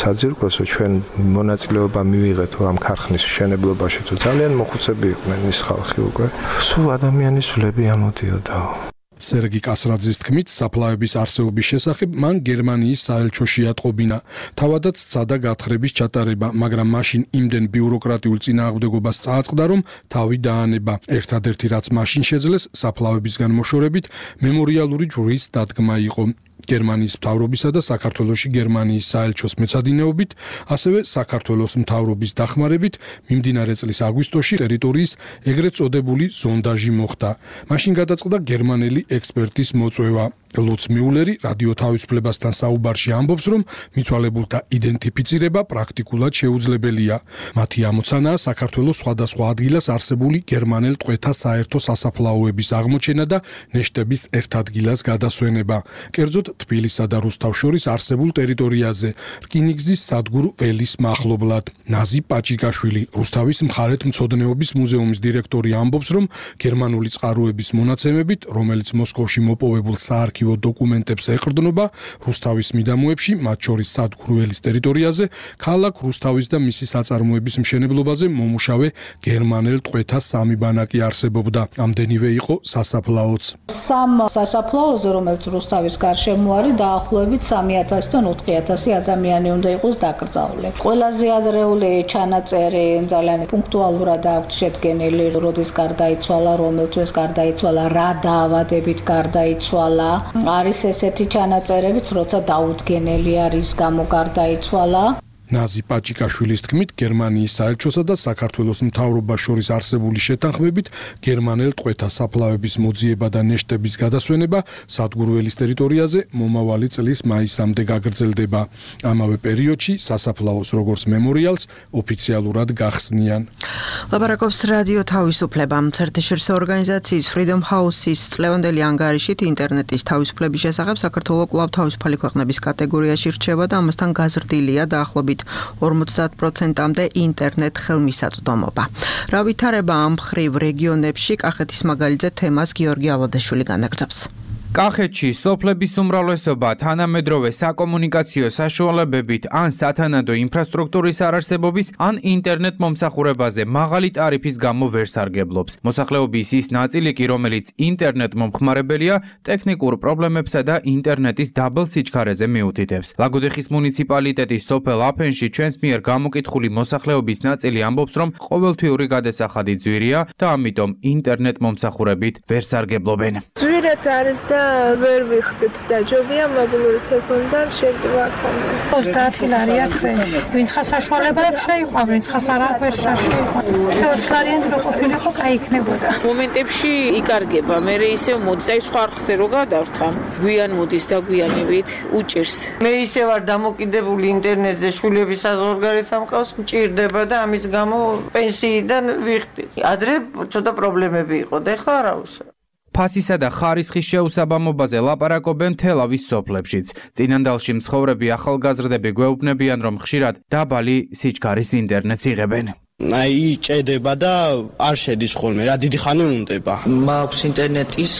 საძირკველს, ჩვენ მონაწილეობა მივიღეთ ამ ქარხნის მშენებლობაში, თუ ძალიან მოხუცები იყვნენ ის ხალხი უკვე. სულ ადამიანის ვლები ამოდიოდა. სერგი კასრაძის თქმით, საფლავების არსებობის შესახებ მან გერმანიის საელჩოში ატყობინა. თავადაც სცადა გათხრების ჩატარება, მაგრამ მაშინ იმდენ ბიუროკრატიულ წინააღმდეგობას წააწყდა, რომ თავი დაანება. ერთადერთი რაც მაშინ შეძლეს, საფლავებისგან მოშორებით მემორიალური ჯვრის დადგმა იყო. გერმანიის მთავრობისა და საქართველოში გერმანიის საელჩოს მეცადინეობით, ასევე საქართველოს მთავრობის დახმარებით მიმდინარე წლის აგვისტოში ტერიტორიის ეგრეთ წოდებული ზონდაჟი მოხდა. მაშინ გადაწყდა გერმანელი ექსპერტის მოწვევა. ლუც მიულერი რადიო თავისუფლებასთან საუბარში ამბობს, რომ მიცვალებულთა იდენტიფიცირება პრაქტიკულად შეუძლებელია. მათი ამოცანაა საქართველოს სხვადასხვა ადგილას არსებული გერმანელ ტყვეთა საერთო სასაფლაოების აღმოჩენა და ნეშტების ერთ ადგილას გადასვენება. კერძოდ თბილისსა და რუსთავს შორის არსებულ ტერიტორიაზე, რკინიგზის სადგურ ველის მახლობლად. ნაზი პაჭიკაშვილი, რუსთავის მხარეთმცოდნეობის მუზეუმის დირექტორი ამბობს, რომ გერმანული წყაროების მონაცემებით, რომელიც მოსკოვში მოპოვებულ საარქივო დოკუმენტებს ეყრდნობა, რუსთავის მიდამოებში, მათ შორის სადგურ ველის ტერიტორიაზე, ქალაქ რუსთავის და მისი საწარმოების მშენებლობაზე მომუშავე გერმანელ ტყვეთა სამი ბანაკი არსებობდა. ამდენივე იყო სასაფლაოც. სამ სასაფლაოზე, რომელიც რუსთავის გარშემო არის, დაახლოებით სამი ათასიდან ოთხი ათასი ადამიანი უნდა იყოს დაკრძალული. ყველაზე ადრეული ჩანაწერი ძალიან პუნქტუალურად აქვს შედგენილი, როდის გარდაიცვალა, რომელ თვეს გარდაიცვალა, რა დაავადებით გარდაიცვალა. არის ესეთი ჩანაწერებიც, როცა დაუდგენელი არის, გამო გარდაიცვალა. ნაზი პაჭიკაშვილის თქმით, გერმანიის საელჩოსა და საქართველოს მთავრობას შორის არსებული შეთანხმებით, გერმანელ ტყვეთა საფლავების მოძიება და ნეშტების გადასვენება სადგურველის ტერიტორიაზე მომავალი წლის მაისამდე გაგრძელდება. ამავე პერიოდში სასაფლაოს როგორც მემორიალს ოფიციალურად გახსნიან. ლაპარაკობს რადიო თავისუფლება. საერთაშორისო ორგანიზაციის Freedom House-ის წლევანდელი ანგარიშით ინტერნეტის თავისუფლების შესახებ საქართველო კვლავ თავისუფალი ქვეყნების კატეგორიაში რჩება და ამასთან გაზრდილია დაახლოებით ორმოცდაათ პროცენტამდე ინტერნეტ ხელმისაწვდომობა. რა ვითარება ამ მხრივ რეგიონებში, კახეთის მაგალითზე თემას გიორგი ალადაშვილი განაგრძობს. კახეთში სოფლების უმრავლესობა თანამედროვე საკომუნიკაციო საშუალებებით ან სათანადო ინფრასტრუქტურის არარსებობის ან ინტერნეტ მომსახურებაზე მაღალი ტარიფის გამო ვერ სარგებლობს. მოსახლეობის ის ნაწილი კი, რომელიც ინტერნეტ მომხმარებელია, ტექნიკურ პრობლემებსა და ინტერნეტის დაბალ სიჩქარეზე მიუთითებს. ლაგოდეხის მუნიციპალიტეტის სოფელ აფენში ჩვენს მიერ გამოკითხული მოსახლეობის ნაწილი ამბობს, რომ ყოველთვიური გადასახადი ძვირია და ამიტომ ინტერნეტ მომსახურებით ვერ სარგებლობენ. ძვირად არის და ვერ ვიხდით დაჯობია მობილური ტელეფონიდან შევდივართ ხოლმე. ოცდაათი ლარია თვეში. ვინც ხა საშუალებაა შეიყვა, ვინც ხა არაფერს შეიყვა. ოცდაათლარიანი რო ყოფილიყო, კაი იქნებოდა. მომენტებში იკარგება, მე ისევ მოდის, აი სხვა არხზე რო გადავრთა. გვიან მოდის და გვიანებით უჭირს. მე ისე ვარ დამოკიდებული ინტერნეტზე, შვილების საზღვარგარეთ ამყავს, მჭირდება და ამის გამო პენსიიდან ვიხდი. ადრე ცოტა პრობლემები იყო და ეხლა არა უშავ. ფასისა და ხარისხის შეუსაბამობაზე ლაპარაკობენ თელავის სოფლებშიც. წინანდალში მცხოვრები ახალგაზრდები გვეუბნებიან, რომ ხშირად დაბალი სიჩქარის ინტერნეტს იღებენ. აი ჭედება და არ შედის ხოლმე, რა დიდი ხანი უნდება. მაქვს ინტერნეტის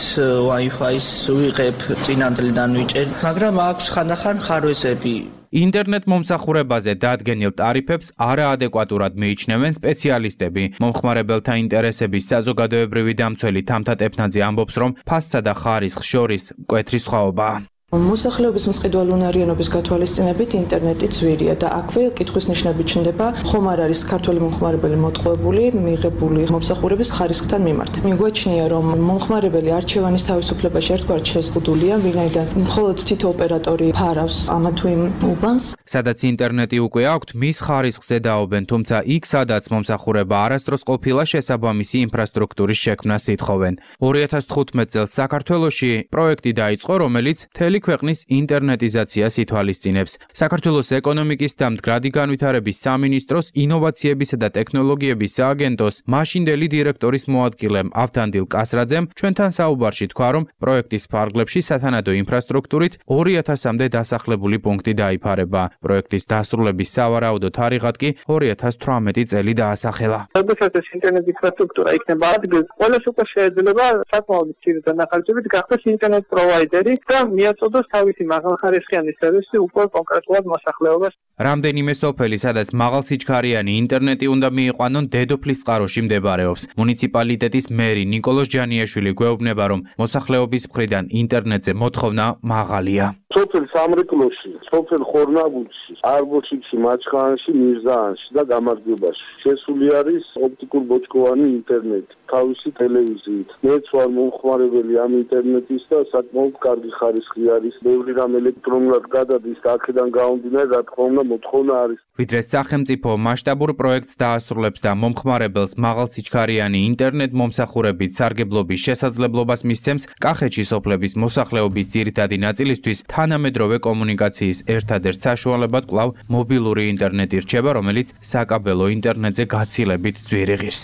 Wi-Fi-ს ვიღებ, წინანდლიდან ვიჭერ, მაგრამ აქვს ხანდახან ხარვეზები. ინტერნეტ მომსახურებაზე დადგენილ ტარიფებს არაადეკვატურად მიიჩნევენ სპეციალისტები. მომხმარებელთა ინტერესების საზოგადოებრივი დამცველი თამთა ტეფნაძე ამბობს, რომ ფასსა და ხარისხს შორის მკვეთრი სხვაობაა. მოსახლეობის მყიდველუნარიანობის გათვალისწინებით ინტერნეტი ძვირია და აქვე კითხვის ნიშნები ჩნდება, ხომ არ არის ქართველი მომხმარებელი მოტყუებული მიღებული მომსახურების ხარისხთან მიმართ. მიგვაჩნია, რომ მომხმარებელი არჩევანის თავისუფლებაში ერთგვარად შეზღუდულია, ვინაიდან მხოლოდ თითო ოპერატორი ფარავს ამა თუ იმ უბანს. სადაც ინტერნეტი უკვე აქვთ, მის ხარისხზე დაობენ, თუმცა იქ, სადაც მომსახურება არასდროს ყოფილა, შესაბამისი ინფრასტრუქტურის შექმნას ითხოვენ. ორი ათას თხუთმეტ წელს საქართველოში პროექტი დაიწყო, რომელიც მთელი ქვეყნის ინტერნეტიზაციას ითვალისწინებს. საქართველოს ეკონომიკის და მდგრადი განვითარების სამინისტროს ინოვაციებისა და ტექნოლოგიების სააგენტოს მაშინდელი დირექტორის მოადგილემ ავთანდილ კასრაძემ ჩვენთან საუბარში თქვა, რომ პროექტის ფარგლებში სათანადო ინფრასტრუქტურით ორი ათასამდე დასახლებული პუნქტი დაიფარება. პროექტის დასრულების სავარაუდო თარიღად კი ორი ათას თვრამეტი წელი დაასახელა. როდესაც ეს ინტერნეტ ინფრასტრუქტურა იქნება ადგილს, ყველას უკვე შეიძლება საკმაოდ მცირე დანახარჯებით გახდეს ინტერნეტ პროვაიდერი და მიაწოდოს თავისი მაღალხარისხიანი სერვისი უკვე კონკრეტულად მოსახლეობას. რამდენიმე სოფელი, სადაც მაღალსიჩქარიანი ინტერნეტი უნდა მიიყვანონ, დედოფლის წყაროში მდებარეობს. მუნიციპალიტეტის მერი ნიკოლოზ ჯანიაშვილი გვეუბნება, რომ მოსახლეობის მხრიდან ინტერნეტზე მოთხოვნა მაღალია. სოფელ სამრეკლოში, სოფელ ხორნაბუდში, არბოჩიკში, მაჩხანში, მირზაანში და გამარჯვებაში შესული არის ოპტიკურ ბოჭკოვანი ინტერნეტი, თავისი ტელევიზიით. მეც ვარ მომხმარებელი ამ ინტერნეტის და საკმაოდ კარგი ხარისხი არის. ბევრი რამ ელექტრონულად გადადის და აქედან გამომდინარე, რა თქმა უნდა, მოთხოვნა არის. ვიდრე სახელმწიფო მასშტაბურ პროექტს დაასრულებს და მომხმარებელს მაღალსიჩქარიანი ინტერნეტ მომსახურებით სარგებლობის შესაძლებლობას მისცემს, კახეთში სოფლების მოსახლეობის ძირითადი ნაწილისთვის თანამედროვე კომუნიკაციის ერთადერთ საშუალებად კვლავ მობილური ინტერნეტი რჩება, რომელიც საკაბელო ინტერნეტზე გაცილებით ძვირი ღირს.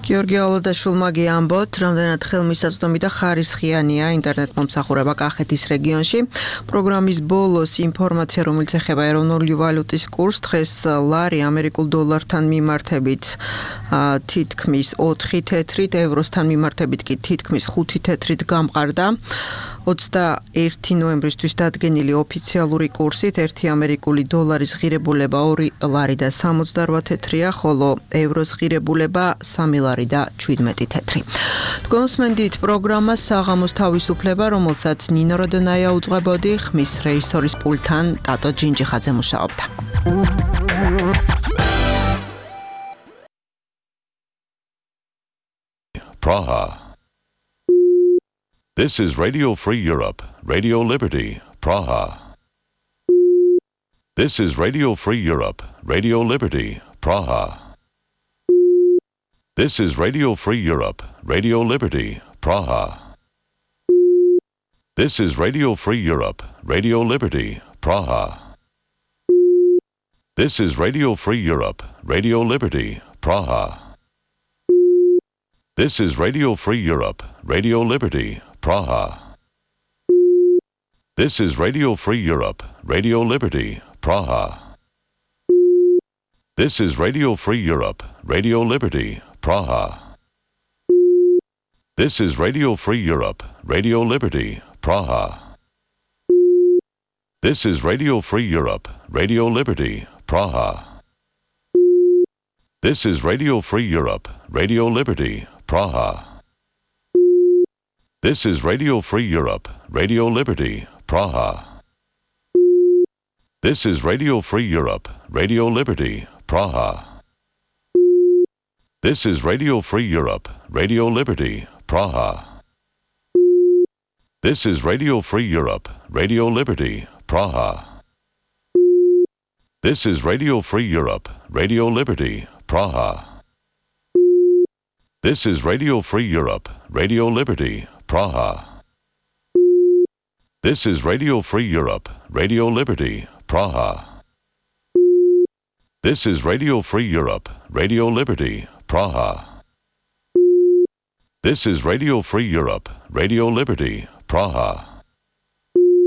გიორგი ალადაშვილმა ამბობთ, რამდენად ხელმისაწვდომი და ხარისხიანია ინტერნეტ მომსახურება კახეთის რეგიონში. ეთერში. პროგრამის ბოლოს ინფორმაცია, რომელიც ეხება ეროვნული ვალუტის კურსს, დღეს ლარი ამერიკულ დოლართან მიმართებით თითქმის ოთხი თეთრით, ევროსთან მიმართებით კი თითქმის ხუთი თეთრით გამყარდა. ოცდაერთი ნოემბრისთვის დადგენილი ოფიციალური კურსით ერთი ამერიკული დოლარის ღირებულება ორი ლარი და სამოცდაოთხ თეთრია, ხოლო ევროს ღირებულება სამი ლარი და შვიდმეტი თეთრი. თქვენსმენდით პროგრამა საღამოს თავისუფლება, რომელსაც ნინო როდონაია უძღვებოდი, ხმის რეჟისორის პულტთან ტატო ჯინჯიხაძე მუშაობდა. Praha. This is Radio Free Europe, Radio Liberty, Praha. This is Radio Free Europe, Radio Liberty, Praha. This is Radio Free Europe, Radio Liberty, Praha. This is Radio Free Europe, Radio Liberty, Praha. This is Radio Free Europe, Radio Liberty, Praha. This is Radio Free Europe, Radio Liberty, Praha. This is Radio Free Europe, Radio Liberty, Praha. This is Radio Free Europe, Radio Liberty, Praha. This is Radio Free Europe, Radio Liberty, Praha. This is Radio Free Europe, Radio Liberty, Praha. This is Radio Free Europe, Radio Liberty, Praha. This is Radio Free Europe, Radio Liberty, Praha. This is Radio Free Europe, Radio Liberty, Praha. This is Radio Free Europe, Radio Liberty, Praha. This is Radio Free Europe, Radio Liberty, Praha. This is Radio Free Europe, Radio Liberty, Praha. This is Radio Free Europe, Radio Liberty, Praha. This is Radio Free Europe, Radio Liberty, Praha. This is Radio Free Europe, Radio Liberty, Praha. This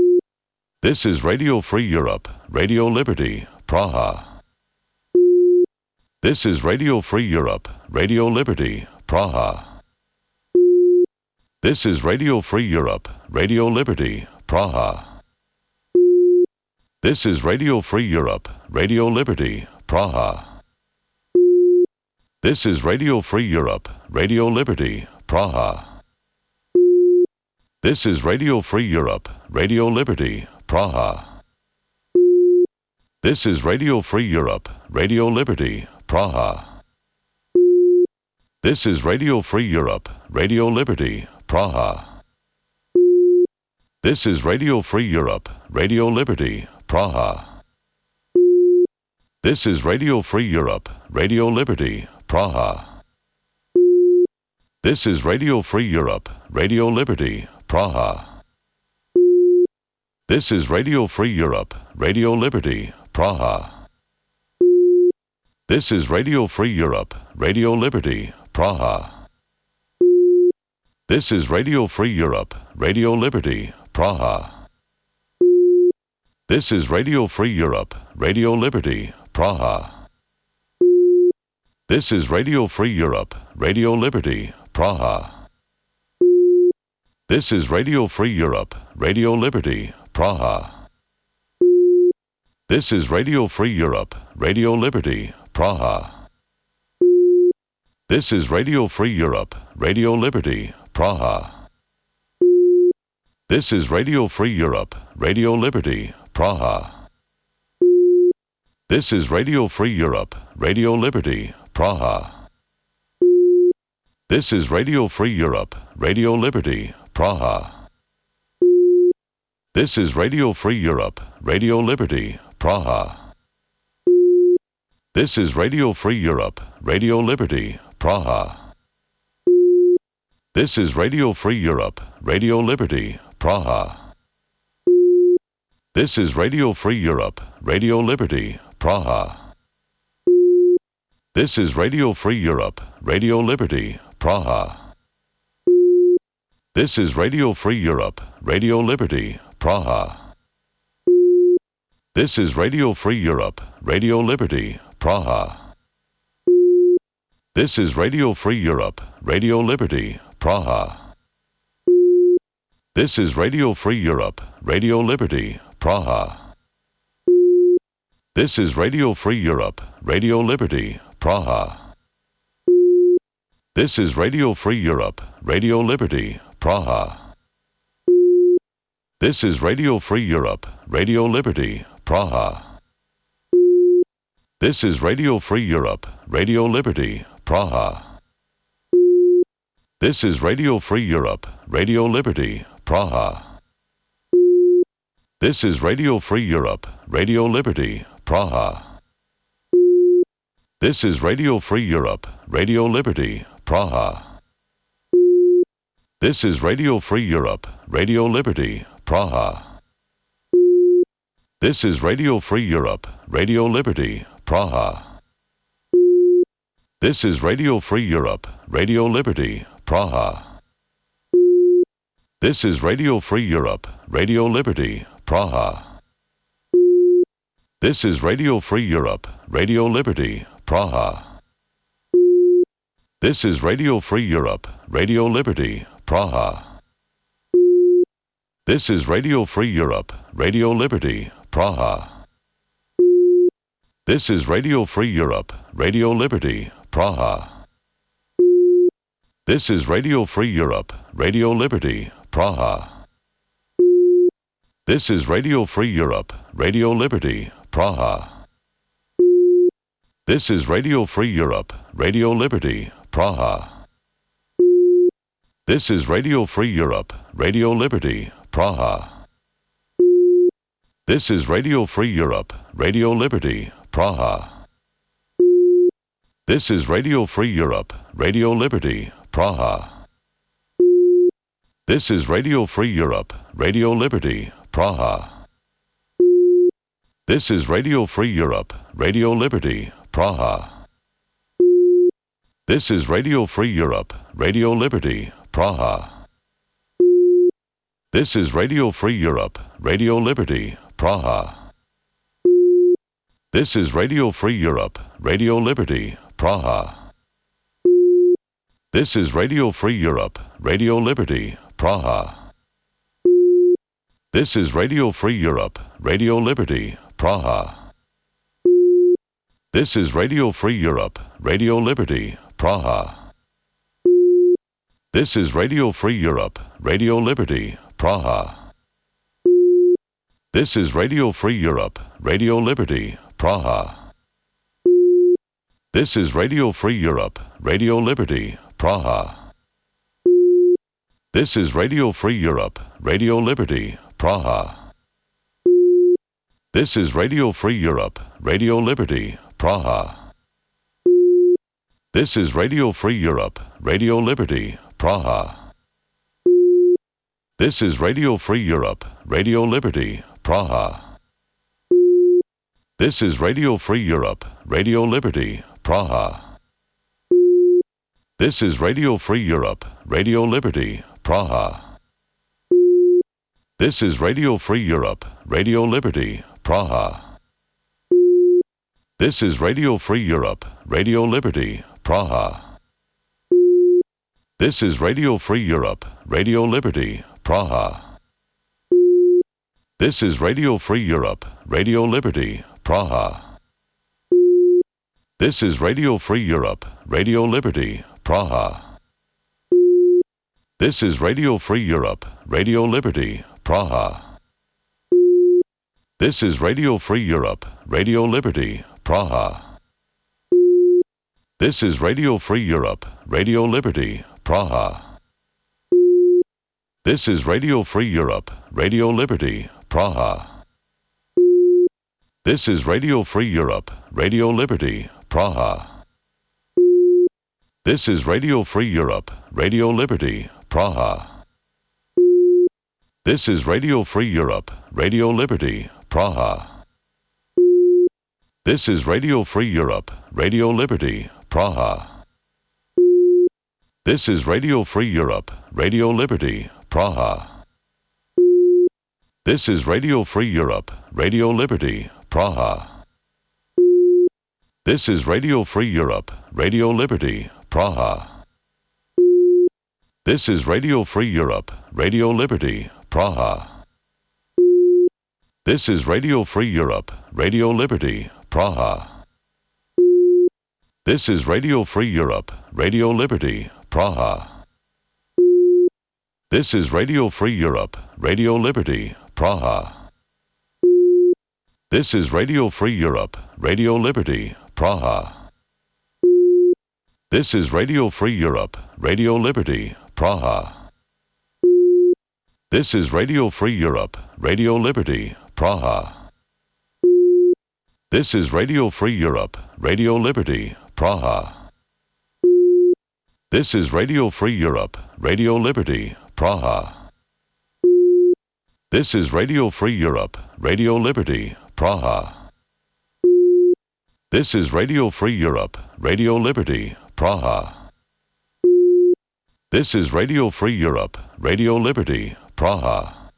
is Radio Free Europe, Radio Liberty, Praha. This is Radio Free Europe, Radio Liberty, Praha. This is Radio Free Europe, Radio Liberty, Praha. This is Radio Free Europe, Radio Liberty, Praha. This is Radio Free Europe, Radio Liberty, Praha. This is Radio Free Europe, Radio Liberty, Praha. This is Radio Free Europe, Radio Liberty, Praha. This is Radio Free Europe, Radio Liberty, Praha. This is Radio Free Europe, Radio Liberty, Praha. This is Radio Free Europe, Radio Liberty, Praha. This is Radio Free Europe, Radio Liberty, Praha. This is Radio Free Europe, Radio Liberty, Praha. This is Radio Free Europe, Radio Liberty, Praha. This is Radio Free Europe, Radio Liberty, Praha. This is Radio Free Europe, Radio Liberty, Praha. This is Radio Free Europe, Radio Liberty, Praha. This is Radio Free Europe, Radio Liberty, Praha. This is Radio Free Europe, Radio Liberty, Praha. This is Radio Free Europe, Radio Liberty, Praha. This is Radio Free Europe, Radio Liberty, Praha. This is Radio Free Europe, Radio Liberty, Praha. This is Radio Free Europe, Radio Liberty, Praha. This is Radio Free Europe, Radio Liberty, Praha. This is Radio Free Europe, Radio Liberty, Praha. This is Radio Free Europe, Radio Liberty, Praha. This is Radio Free Europe, Radio Liberty, Praha. This is Radio Free Europe, Radio Liberty, Praha. This is Radio Free Europe, Radio Liberty, Praha. This is Radio Free Europe, Radio Liberty, Praha. This is Radio Free Europe, Radio Liberty, Praha. This is Radio Free Europe, Radio Liberty, Praha. This is Radio Free Europe, Radio Liberty, Praha. This is Radio Free Europe, Radio Liberty, Praha. This is Radio Free Europe, Radio Liberty, Praha. This is Radio Free Europe, Radio Liberty, Praha. This is Radio Free Europe, Radio Liberty, Praha. This is Radio Free Europe, Radio Liberty, Praha. This is Radio Free Europe, Radio Liberty, Praha. This is Radio Free Europe, Radio Liberty, Praha. This is Radio Free Europe, Radio Liberty, Praha. This is Radio Free Europe, Radio Liberty, Praha. This is Radio Free Europe, Radio Liberty, Praha. This is Radio Free Europe, Radio Liberty, Praha. This is Radio Free Europe, Radio Liberty, Praha. This is Radio Free Europe, Radio Liberty, Praha. This is Radio Free Europe, Radio Liberty, Praha. This is Radio Free Europe, Radio Liberty, Praha. This is Radio Free Europe, Radio Liberty, Praha. This is Radio Free Europe, Radio Liberty, Praha. This is Radio Free Europe, Radio Liberty, Praha. This is Radio Free Europe, Radio Liberty, Praha. This is Radio Free Europe, Radio Liberty, Praha. This is Radio Free Europe, Radio Liberty, Praha. This is Radio Free Europe, Radio Liberty, Praha. This is Radio Free Europe, Radio Liberty, Praha. This is Radio Free Europe, Radio Liberty, Praha. This is Radio Free Europe, Radio Liberty, Praha. This is Radio Free Europe, Radio Liberty, Praha. This is Radio Free Europe, Radio Liberty, Praha. This is Radio Free Europe, Radio Liberty, Praha. This is Radio Free Europe, Radio Liberty, Praha. This is Radio Free Europe, Radio Liberty, Praha. This is Radio Free Europe, Radio Liberty, Praha. This is Radio Free Europe, Radio Liberty, Praha. This is Radio Free Europe, Radio Liberty, Praha. This is Radio Free Europe, Radio Liberty, Praha. This is Radio Free Europe, Radio Liberty, Praha. This is Radio Free Europe, Radio Liberty, Praha. This is Radio Free Europe, Radio Liberty, Praha. This is Radio Free Europe, Radio Liberty, Praha. This is Radio Free Europe, Radio Liberty, Praha. This is Radio Free Europe, Radio Liberty, Praha. This is Radio Free Europe, Radio Liberty, Praha. This is Radio Free Europe, Radio Liberty, Praha. This is Radio Free Europe, Radio Liberty, Praha. This is Radio Free Europe, Radio Liberty, Praha. This is Radio Free Europe, Radio Liberty, Praha. This is Radio Free Europe, Radio Liberty, Praha. This is Radio Free Europe, Radio Liberty, Praha. This is Radio Free Europe, Radio Liberty, Praha. This is Radio Free Europe, Radio Liberty, Praha. This is Radio Free Europe, Radio Liberty, Praha. This is Radio Free Europe, Radio Liberty, Praha. This is Radio Free Europe, Radio Liberty, Praha. This is Radio Free Europe, Radio Liberty, Praha. This is Radio Free Europe, Radio Liberty, Praha. This is Radio Free Europe, Radio Liberty, Praha. This is Radio Free Europe, Radio Liberty, Praha. This is Radio Free Europe, Radio Liberty, Praha. This is Radio Free Europe, Radio Liberty, Praha. This is Radio Free Europe, Radio Liberty, Praha. This is Radio Free Europe, Radio Liberty, Praha. This is Radio Free Europe, Radio Liberty, Praha. This is Radio Free Europe, Radio Liberty, Praha. This is Radio Free Europe, Radio Liberty, Praha. This is Radio Free Europe, Radio Liberty, Praha. This is Radio Free Europe, Radio Liberty, Praha. This is Radio Free Europe, Radio Liberty, Praha.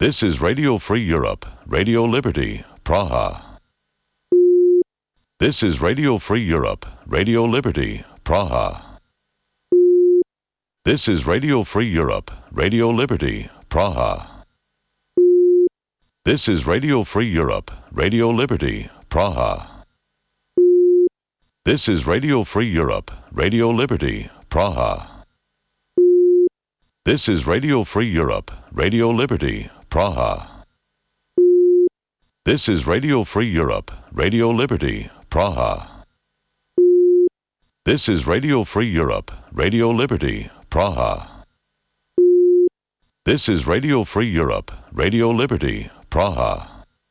This is Radio Free Europe, Radio Liberty, Praha. This is Radio Free Europe, Radio Liberty, Praha. This is Radio Free Europe, Radio Liberty, Praha. This is Radio Free Europe, Radio Liberty, Praha. This is Radio Free Europe, Radio Liberty, Praha. This is Radio Free Europe, Radio Liberty, Praha. This is Radio Free Europe, Radio Liberty, Praha. This is Radio Free Europe, Radio Liberty, Praha. This is Radio Free Europe, Radio Liberty, Praha.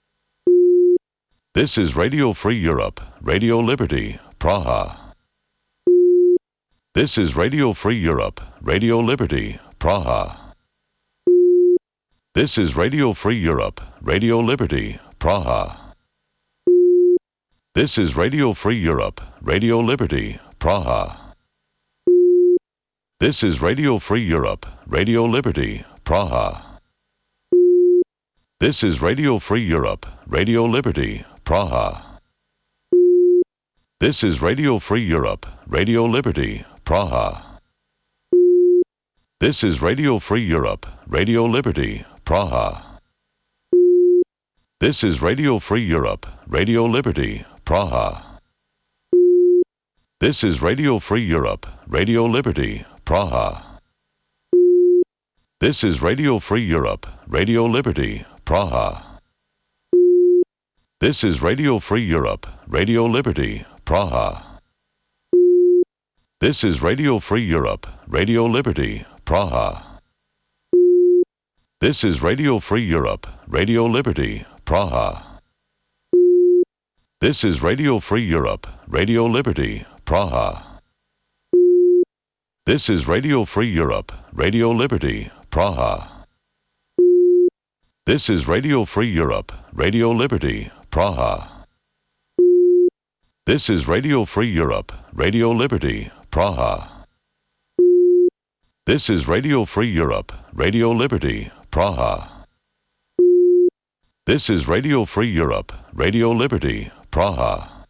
This is Radio Free Europe, Radio Liberty, Praha. This is Radio Free Europe, Radio Liberty, Praha. This is Radio Free Europe, Radio Liberty, Praha. This is Radio Free Europe, Radio Liberty, Praha. This is Radio Free Europe, Radio Liberty, Praha. This is Radio Free Europe, Radio Liberty, Praha. This is Radio Free Europe, Radio Liberty, Praha. This is Radio Free Europe, Radio Liberty, Praha. This is Radio Free Europe, Radio Liberty, Praha. This is Radio Free Europe, Radio Liberty, Praha. This is Radio Free Europe, Radio Liberty, Praha. This is Radio Free Europe, Radio Liberty, Praha. This is Radio Free Europe, Radio Liberty, Praha. This is Radio Free Europe, Radio Liberty, Praha. This is Radio Free Europe, Radio Liberty, Praha. This is Radio Free Europe, Radio Liberty, Praha. This is Radio Free Europe, Radio Liberty, Praha. This is Radio Free Europe, Radio Liberty, Praha. This is Radio Free Europe, Radio Liberty, Praha. This is Radio Free Europe, Radio Liberty, Praha.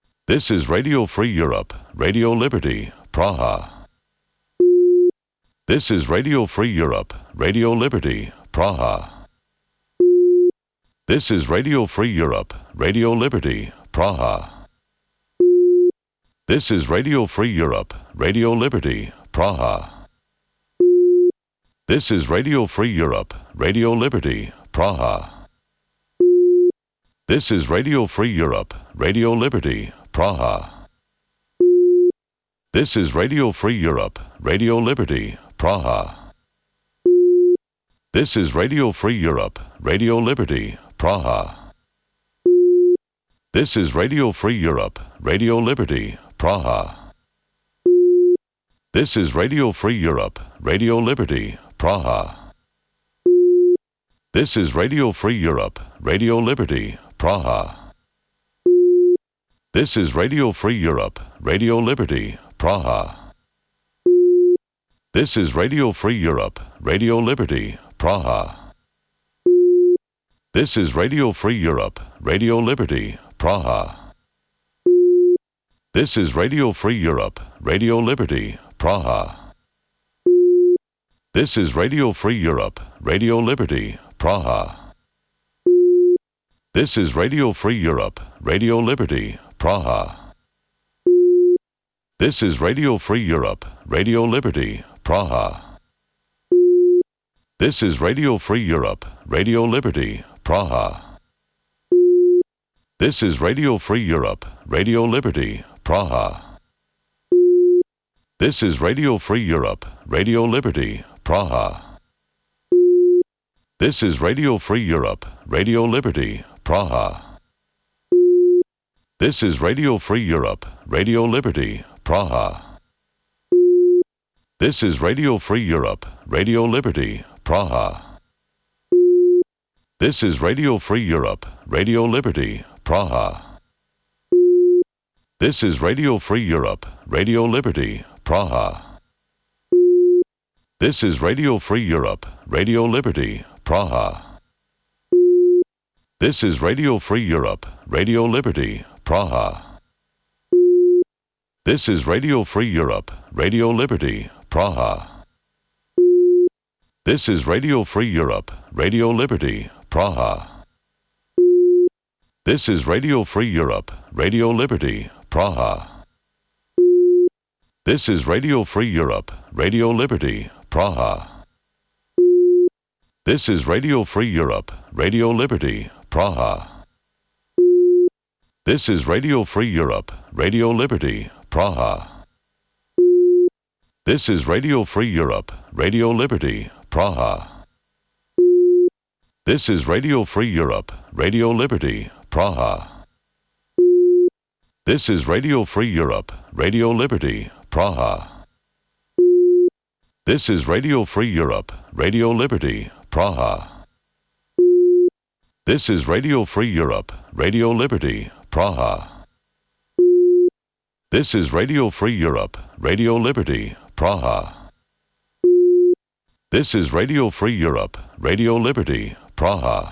This is Radio Free Europe, Radio Liberty, Praha. This is Radio Free Europe, Radio Liberty, Praha. This is Radio Free Europe, Radio Liberty, Praha. This is Radio Free Europe, Radio Liberty, Praha. This is Radio Free Europe, Radio Liberty, Praha. This is Radio Free Europe, Radio Liberty, Praha. This is Radio Free Europe, Radio Liberty, Praha. This is Radio Free Europe, Radio Liberty, Praha. This is Radio Free Europe, Radio Liberty, Praha. This is Radio Free Europe, Radio Liberty, Praha. This is Radio Free Europe, Radio Liberty, Praha. This is Radio Free Europe, Radio Liberty, Praha. This is Radio Free Europe, Radio Liberty, Praha. This is Radio Free Europe, Radio Liberty, Praha. This is Radio Free Europe, Radio Liberty, Praha. This is Radio Free Europe, Radio Liberty, Praha. This is Radio Free Europe, Radio Liberty, Praha. This is Radio Free Europe, Radio Liberty, Praha. This is Radio Free Europe, Radio Liberty, Praha. This is Radio Free Europe, Radio Liberty, Praha. This is Radio Free Europe, Radio Liberty, Praha. This is Radio Free Europe, Radio Liberty, Praha. This is Radio Free Europe, Radio Liberty, Praha. This is Radio Free Europe, Radio Liberty, Praha. This is Radio Free Europe, Radio Liberty, Praha. This is Radio Free Europe, Radio Liberty, Praha. This is Radio Free Europe, Radio Liberty, Praha. This is Radio Free Europe, Radio Liberty, Praha. This is Radio Free Europe, Radio Liberty, Praha. This is Radio Free Europe, Radio Liberty, Praha. This is Radio Free Europe, Radio Liberty, Praha. This is Radio Free Europe, Radio Liberty, Praha. This is Radio Free Europe, Radio Liberty, Praha. This is Radio Free Europe, Radio Liberty, Praha. This is Radio Free Europe, Radio Liberty, Praha. This is Radio Free Europe, Radio Liberty, Praha. This is Radio Free Europe, Radio Liberty, Praha. This is Radio Free Europe, Radio Liberty, Praha. This is Radio Free Europe, Radio Liberty, Praha. This is Radio Free Europe, Radio Liberty, Praha. This is Radio Free Europe, Radio Liberty, Praha.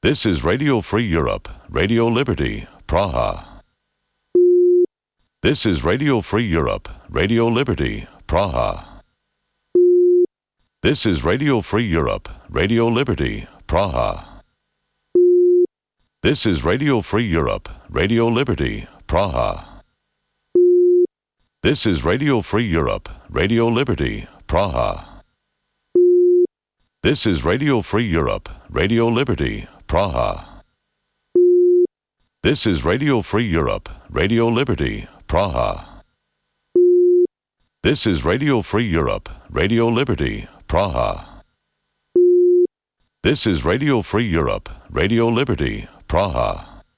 This is Radio Free Europe, Radio Liberty, Praha. This is Radio Free Europe, Radio Liberty, Praha. This is Radio Free Europe, Radio Liberty, Praha. This is Radio Free Europe, Radio Liberty, Praha. This is Radio Free Europe, Radio Liberty, Praha. This is Radio Free Europe, Radio Liberty, Praha. This is Radio Free Europe, Radio Liberty, Praha. This is Radio Free Europe, Radio Liberty, Praha. This is Radio Free Europe, Radio Liberty, Praha.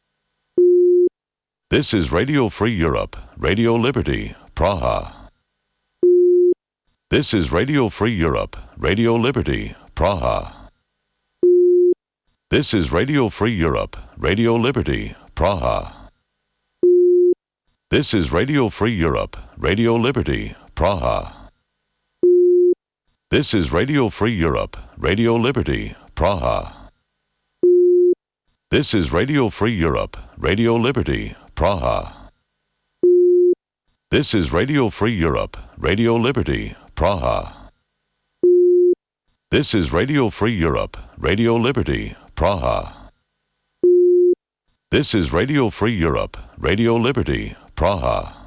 This is Radio Free Europe, Radio Liberty, Praha. This is Radio Free Europe, Radio Liberty, Praha. This is Radio Free Europe, Radio Liberty, Praha. This is Radio Free Europe, Radio Liberty, Praha. This is Radio Free Europe, Radio Liberty, Praha. This is Radio Free Europe, Radio Liberty, Praha. This is Radio Free Europe, Radio Liberty, Praha. This is Radio Free Europe, Radio Liberty, Praha. This is Radio Free Europe, Radio Liberty, Praha.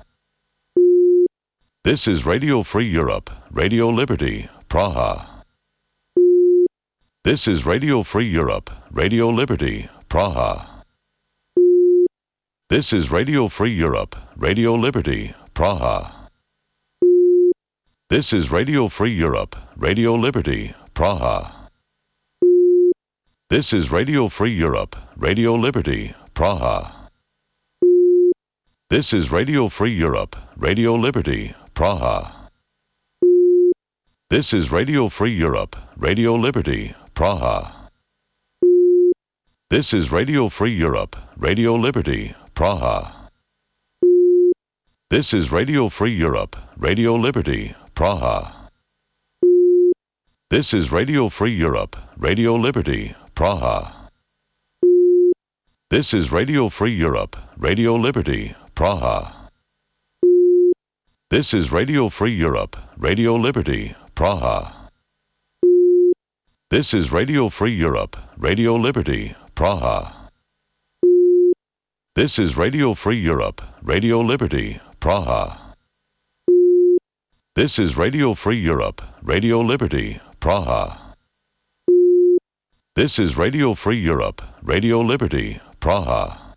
This is Radio Free Europe, Radio Liberty, Praha. This is Radio Free Europe, Radio Liberty, Praha. This is Radio Free Europe, Radio Liberty, Praha. This is Radio Free Europe, Radio Liberty, Praha. This is Radio Free Europe, Radio Liberty, Praha. This is Radio Free Europe, Radio Liberty, Praha. This is Radio Free Europe, Radio Liberty, Praha. This is Radio Free Europe, Radio Liberty, Praha. This is Radio Free Europe, Radio Liberty, Praha. This is Radio Free Europe, Radio Liberty, Praha. This is Radio Free Europe, Radio Liberty, Praha. This is Radio Free Europe, Radio Liberty, Praha. This is Radio Free Europe, Radio Liberty, Praha. This is Radio Free Europe, Radio Liberty, Praha. This is Radio Free Europe, Radio Liberty, Praha. This is Radio Free Europe, Radio Liberty, Praha.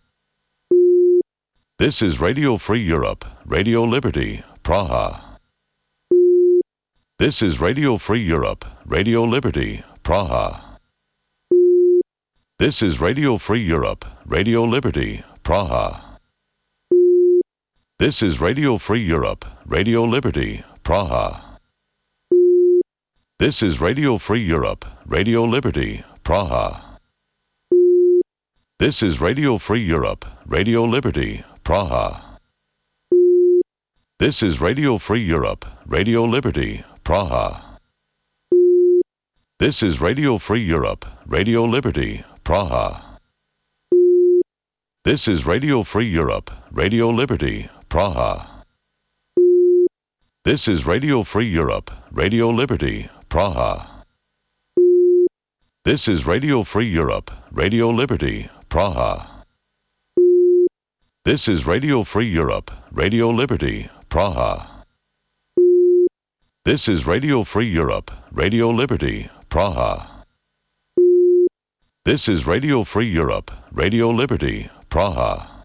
This is Radio Free Europe, Radio Liberty, Praha. This is Radio Free Europe, Radio Liberty, Praha. This is Radio Free Europe, Radio Liberty, Praha. This is Radio Free Europe, Radio Liberty, Praha. This is Radio Free Europe, Radio Liberty, Praha. This is Radio Free Europe, Radio Liberty, Praha. This is Radio Free Europe, Radio Liberty, Praha. This is Radio Free Europe, Radio Liberty, Praha. This is Radio Free Europe, Radio Liberty, Praha. This is Radio Free Europe, Radio Liberty, Praha. This is Radio Free Europe, Radio Liberty, Praha. This is Radio Free Europe, Radio Liberty, Praha. This is Radio Free Europe, Radio Liberty, Praha. This is Radio Free Europe, Radio Liberty, Praha.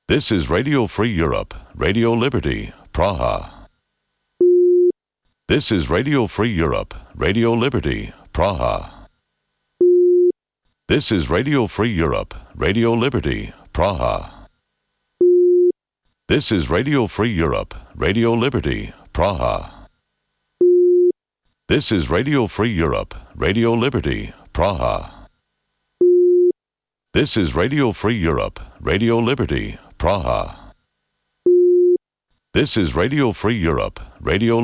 This is Radio Free Europe, Radio Liberty, Praha. This is Radio Free Europe, Radio Liberty, Praha. This is Radio Free Europe, Radio Liberty, Praha. This is Radio Free Europe, Radio Liberty, Praha. This is Radio Free Europe, Radio Liberty, Praha. This is Radio Free Europe, Radio Liberty, Praha. This is Radio Free Europe, Radio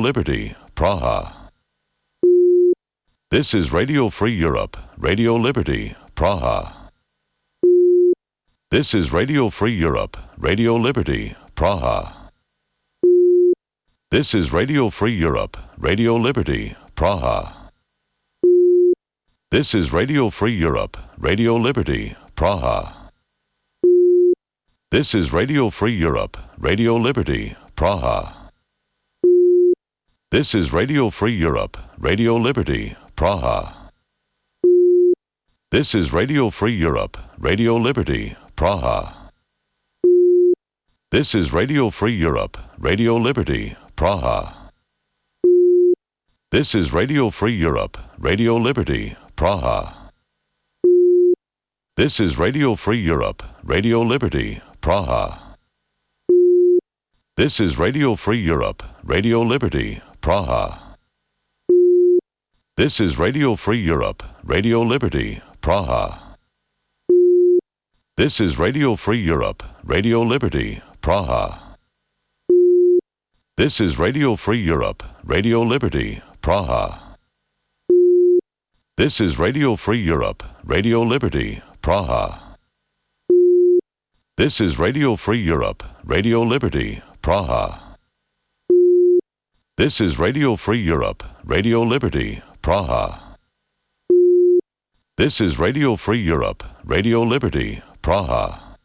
Liberty, Praha. This is Radio Free Europe, Radio Liberty, Praha. This is Radio Free Europe, Radio Liberty, Praha. This is Radio Free Europe, Radio Liberty, Praha. This is Radio Free Europe, Radio Liberty, Praha. This is Radio Free Europe, Radio Liberty, Praha. This is Radio Free Europe, Radio Liberty, Praha. This is Radio Free Europe, Radio Liberty, Praha. This is Radio Free Europe, Radio Liberty, Praha. This is Radio Free Europe, Radio Liberty, Praha. This is Radio Free Europe, Radio Liberty, Praha. This is Radio Free Europe, Radio Liberty, Praha. This is Radio Free Europe, Radio Liberty, Praha. This is Radio Free Europe, Radio Liberty, Praha. This is Radio Free Europe, Radio Liberty, Praha. This is Radio Free Europe, Radio Liberty, Praha. This is Radio Free Europe, Radio Liberty, Praha. This is Radio Free Europe, Radio Liberty, Praha. This is Radio Free Europe, Radio Liberty, Praha.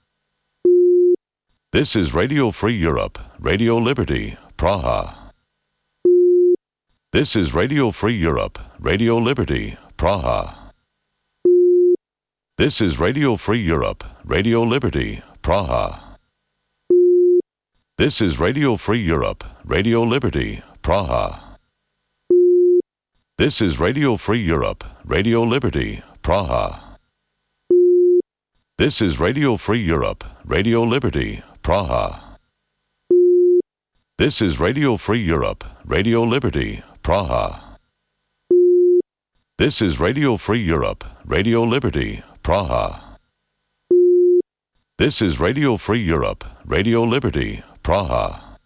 This is Radio Free Europe, Radio Liberty, Praha. This is Radio Free Europe, Radio Liberty, Praha. This is Radio Free Europe, Radio Liberty, Praha. This is Radio Free Europe, Radio Liberty, Praha. This is Radio Free Europe, Radio Liberty, Praha. This is Radio Free Europe, Radio Liberty, Praha. This is Radio Free Europe, Radio Liberty, Praha. This is Radio Free Europe, Radio Liberty, Praha. This is Radio Free Europe, Radio Liberty, Praha.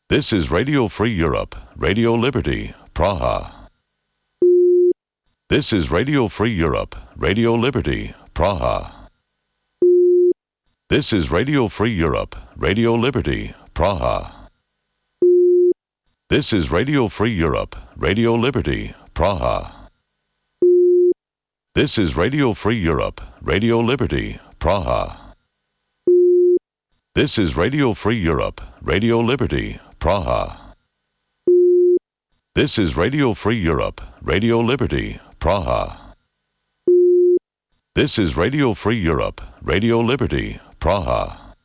This is Radio Free Europe, Radio Liberty, Praha. This is Radio Free Europe, Radio Liberty, Praha. This is Radio Free Europe, Radio Liberty, Praha. This is Radio Free Europe, Radio Liberty, Praha. This is Radio Free Europe, Radio Liberty, Praha. This is Radio Free Europe, Radio Liberty, Praha. This is Radio Free Europe, Radio Liberty, Praha. This is Radio Free Europe, Radio Liberty, Praha.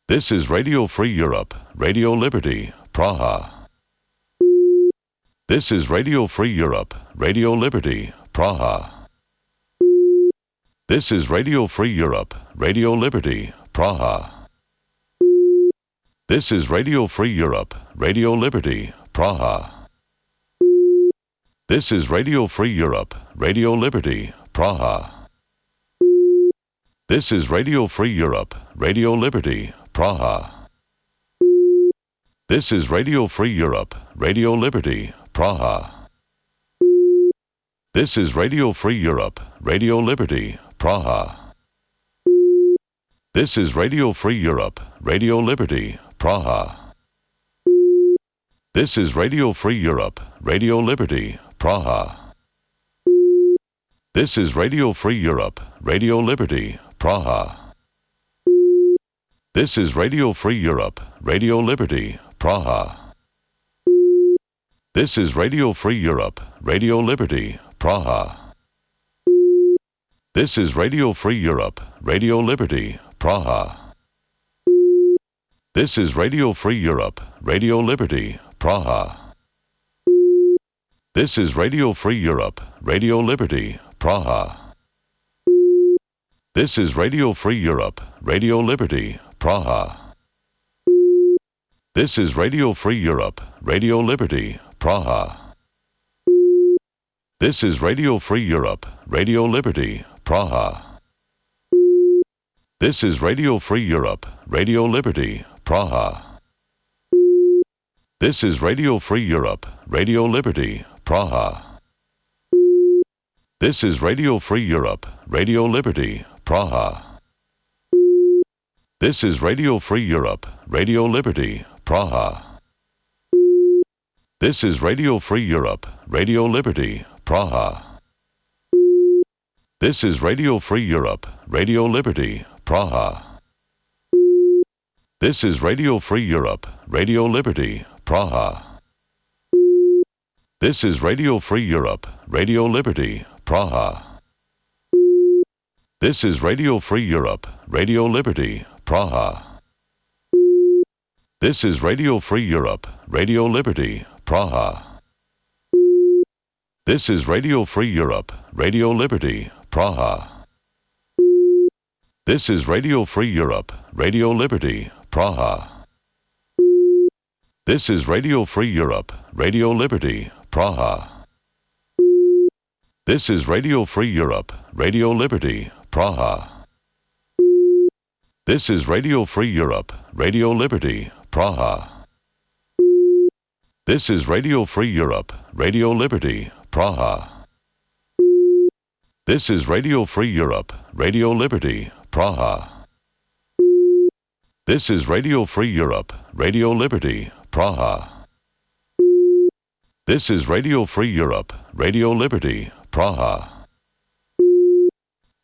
This is Radio Free Europe, Radio Liberty, Praha. This is Radio Free Europe, Radio Liberty, Praha. This is Radio Free Europe, Radio Liberty, Praha. This is Radio Free Europe, Radio Liberty, Praha. This is Radio Free Europe, Radio Liberty, Praha. This is Radio Free Europe, Radio Liberty, Praha. This is Radio Free Europe, Radio Liberty, Praha. This is Radio Free Europe, Radio Liberty, Praha. This is Radio Free Europe, Radio Liberty, Praha. This is Radio Free Europe, Radio Liberty, Praha. This is Radio Free Europe, Radio Liberty, Praha. This is Radio Free Europe, Radio Liberty, Praha. This is Radio Free Europe, Radio Liberty, Praha. This is Radio Free Europe, Radio Liberty, Praha. This is Radio Free Europe, Radio Liberty, Praha. This is Radio Free Europe, Radio Liberty, Praha. This is Radio Free Europe, Radio Liberty, Praha. This is Radio Free Europe, Radio Liberty, Praha. This is Radio Free Europe, Radio Liberty, Praha. This is Radio Free Europe, Radio Liberty, Praha. This is Radio Free Europe, Radio Liberty, Praha. This is Radio Free Europe, Radio Liberty, Praha. This is Radio Free Europe, Radio Liberty, Praha. This is Radio Free Europe, Radio Liberty, Praha. This is Radio Free Europe, Radio Liberty, Praha. This is Radio Free Europe, Radio Liberty, Praha. This is Radio Free Europe, Radio Liberty, Praha. This is Radio Free Europe, Radio Liberty, Praha. This is Radio Free Europe, Radio Liberty, Praha. This is Radio Free Europe, Radio Liberty, Praha. This is Radio Free Europe, Radio Liberty, Praha. This is Radio Free Europe, Radio Liberty, Praha. This is Radio Free Europe, Radio Liberty, Praha. This is Radio Free Europe, Radio Liberty, Praha. This is Radio Free Europe, Radio Liberty, Praha. This is Radio Free Europe, Radio Liberty, Praha. This is Radio Free Europe, Radio Liberty, Praha. This is Radio Free Europe, Radio Liberty, Praha.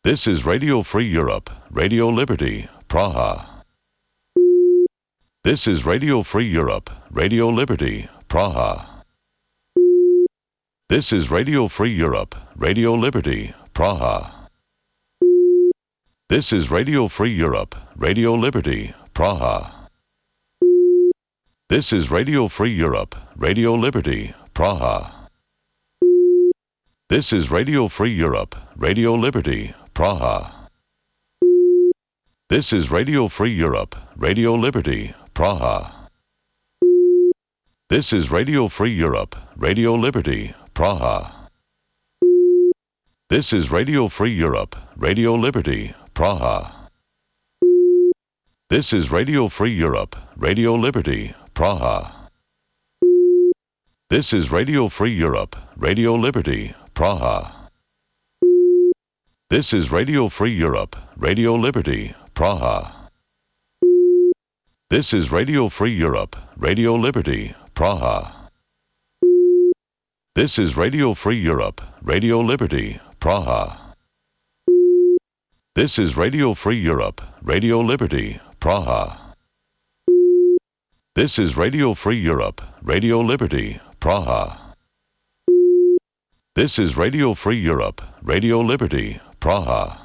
This is Radio Free Europe, Radio Liberty, Praha. This is Radio Free Europe, Radio Liberty, Praha. This is Radio Free Europe, Radio Liberty, Praha. This is Radio Free Europe, Radio Liberty, Praha. This is Radio Free Europe, Radio Liberty, Praha. This is Radio Free Europe, Radio Liberty, Praha. This is Radio Free Europe, Radio Liberty, Praha. This is Radio Free Europe, Radio Liberty, Praha. This is Radio Free Europe, Radio Liberty, Praha. This is Radio Free Europe, Radio Liberty, Praha. This is Radio Free Europe, Radio Liberty, Praha. This is Radio Free Europe, Radio Liberty, Praha. This is Radio Free Europe, Radio Liberty, Praha. This is Radio Free Europe, Radio Liberty, Praha. This is Radio Free Europe, Radio Liberty, Praha. This is Radio Free Europe, Radio Liberty, Praha. This is Radio Free Europe, Radio Liberty, Praha.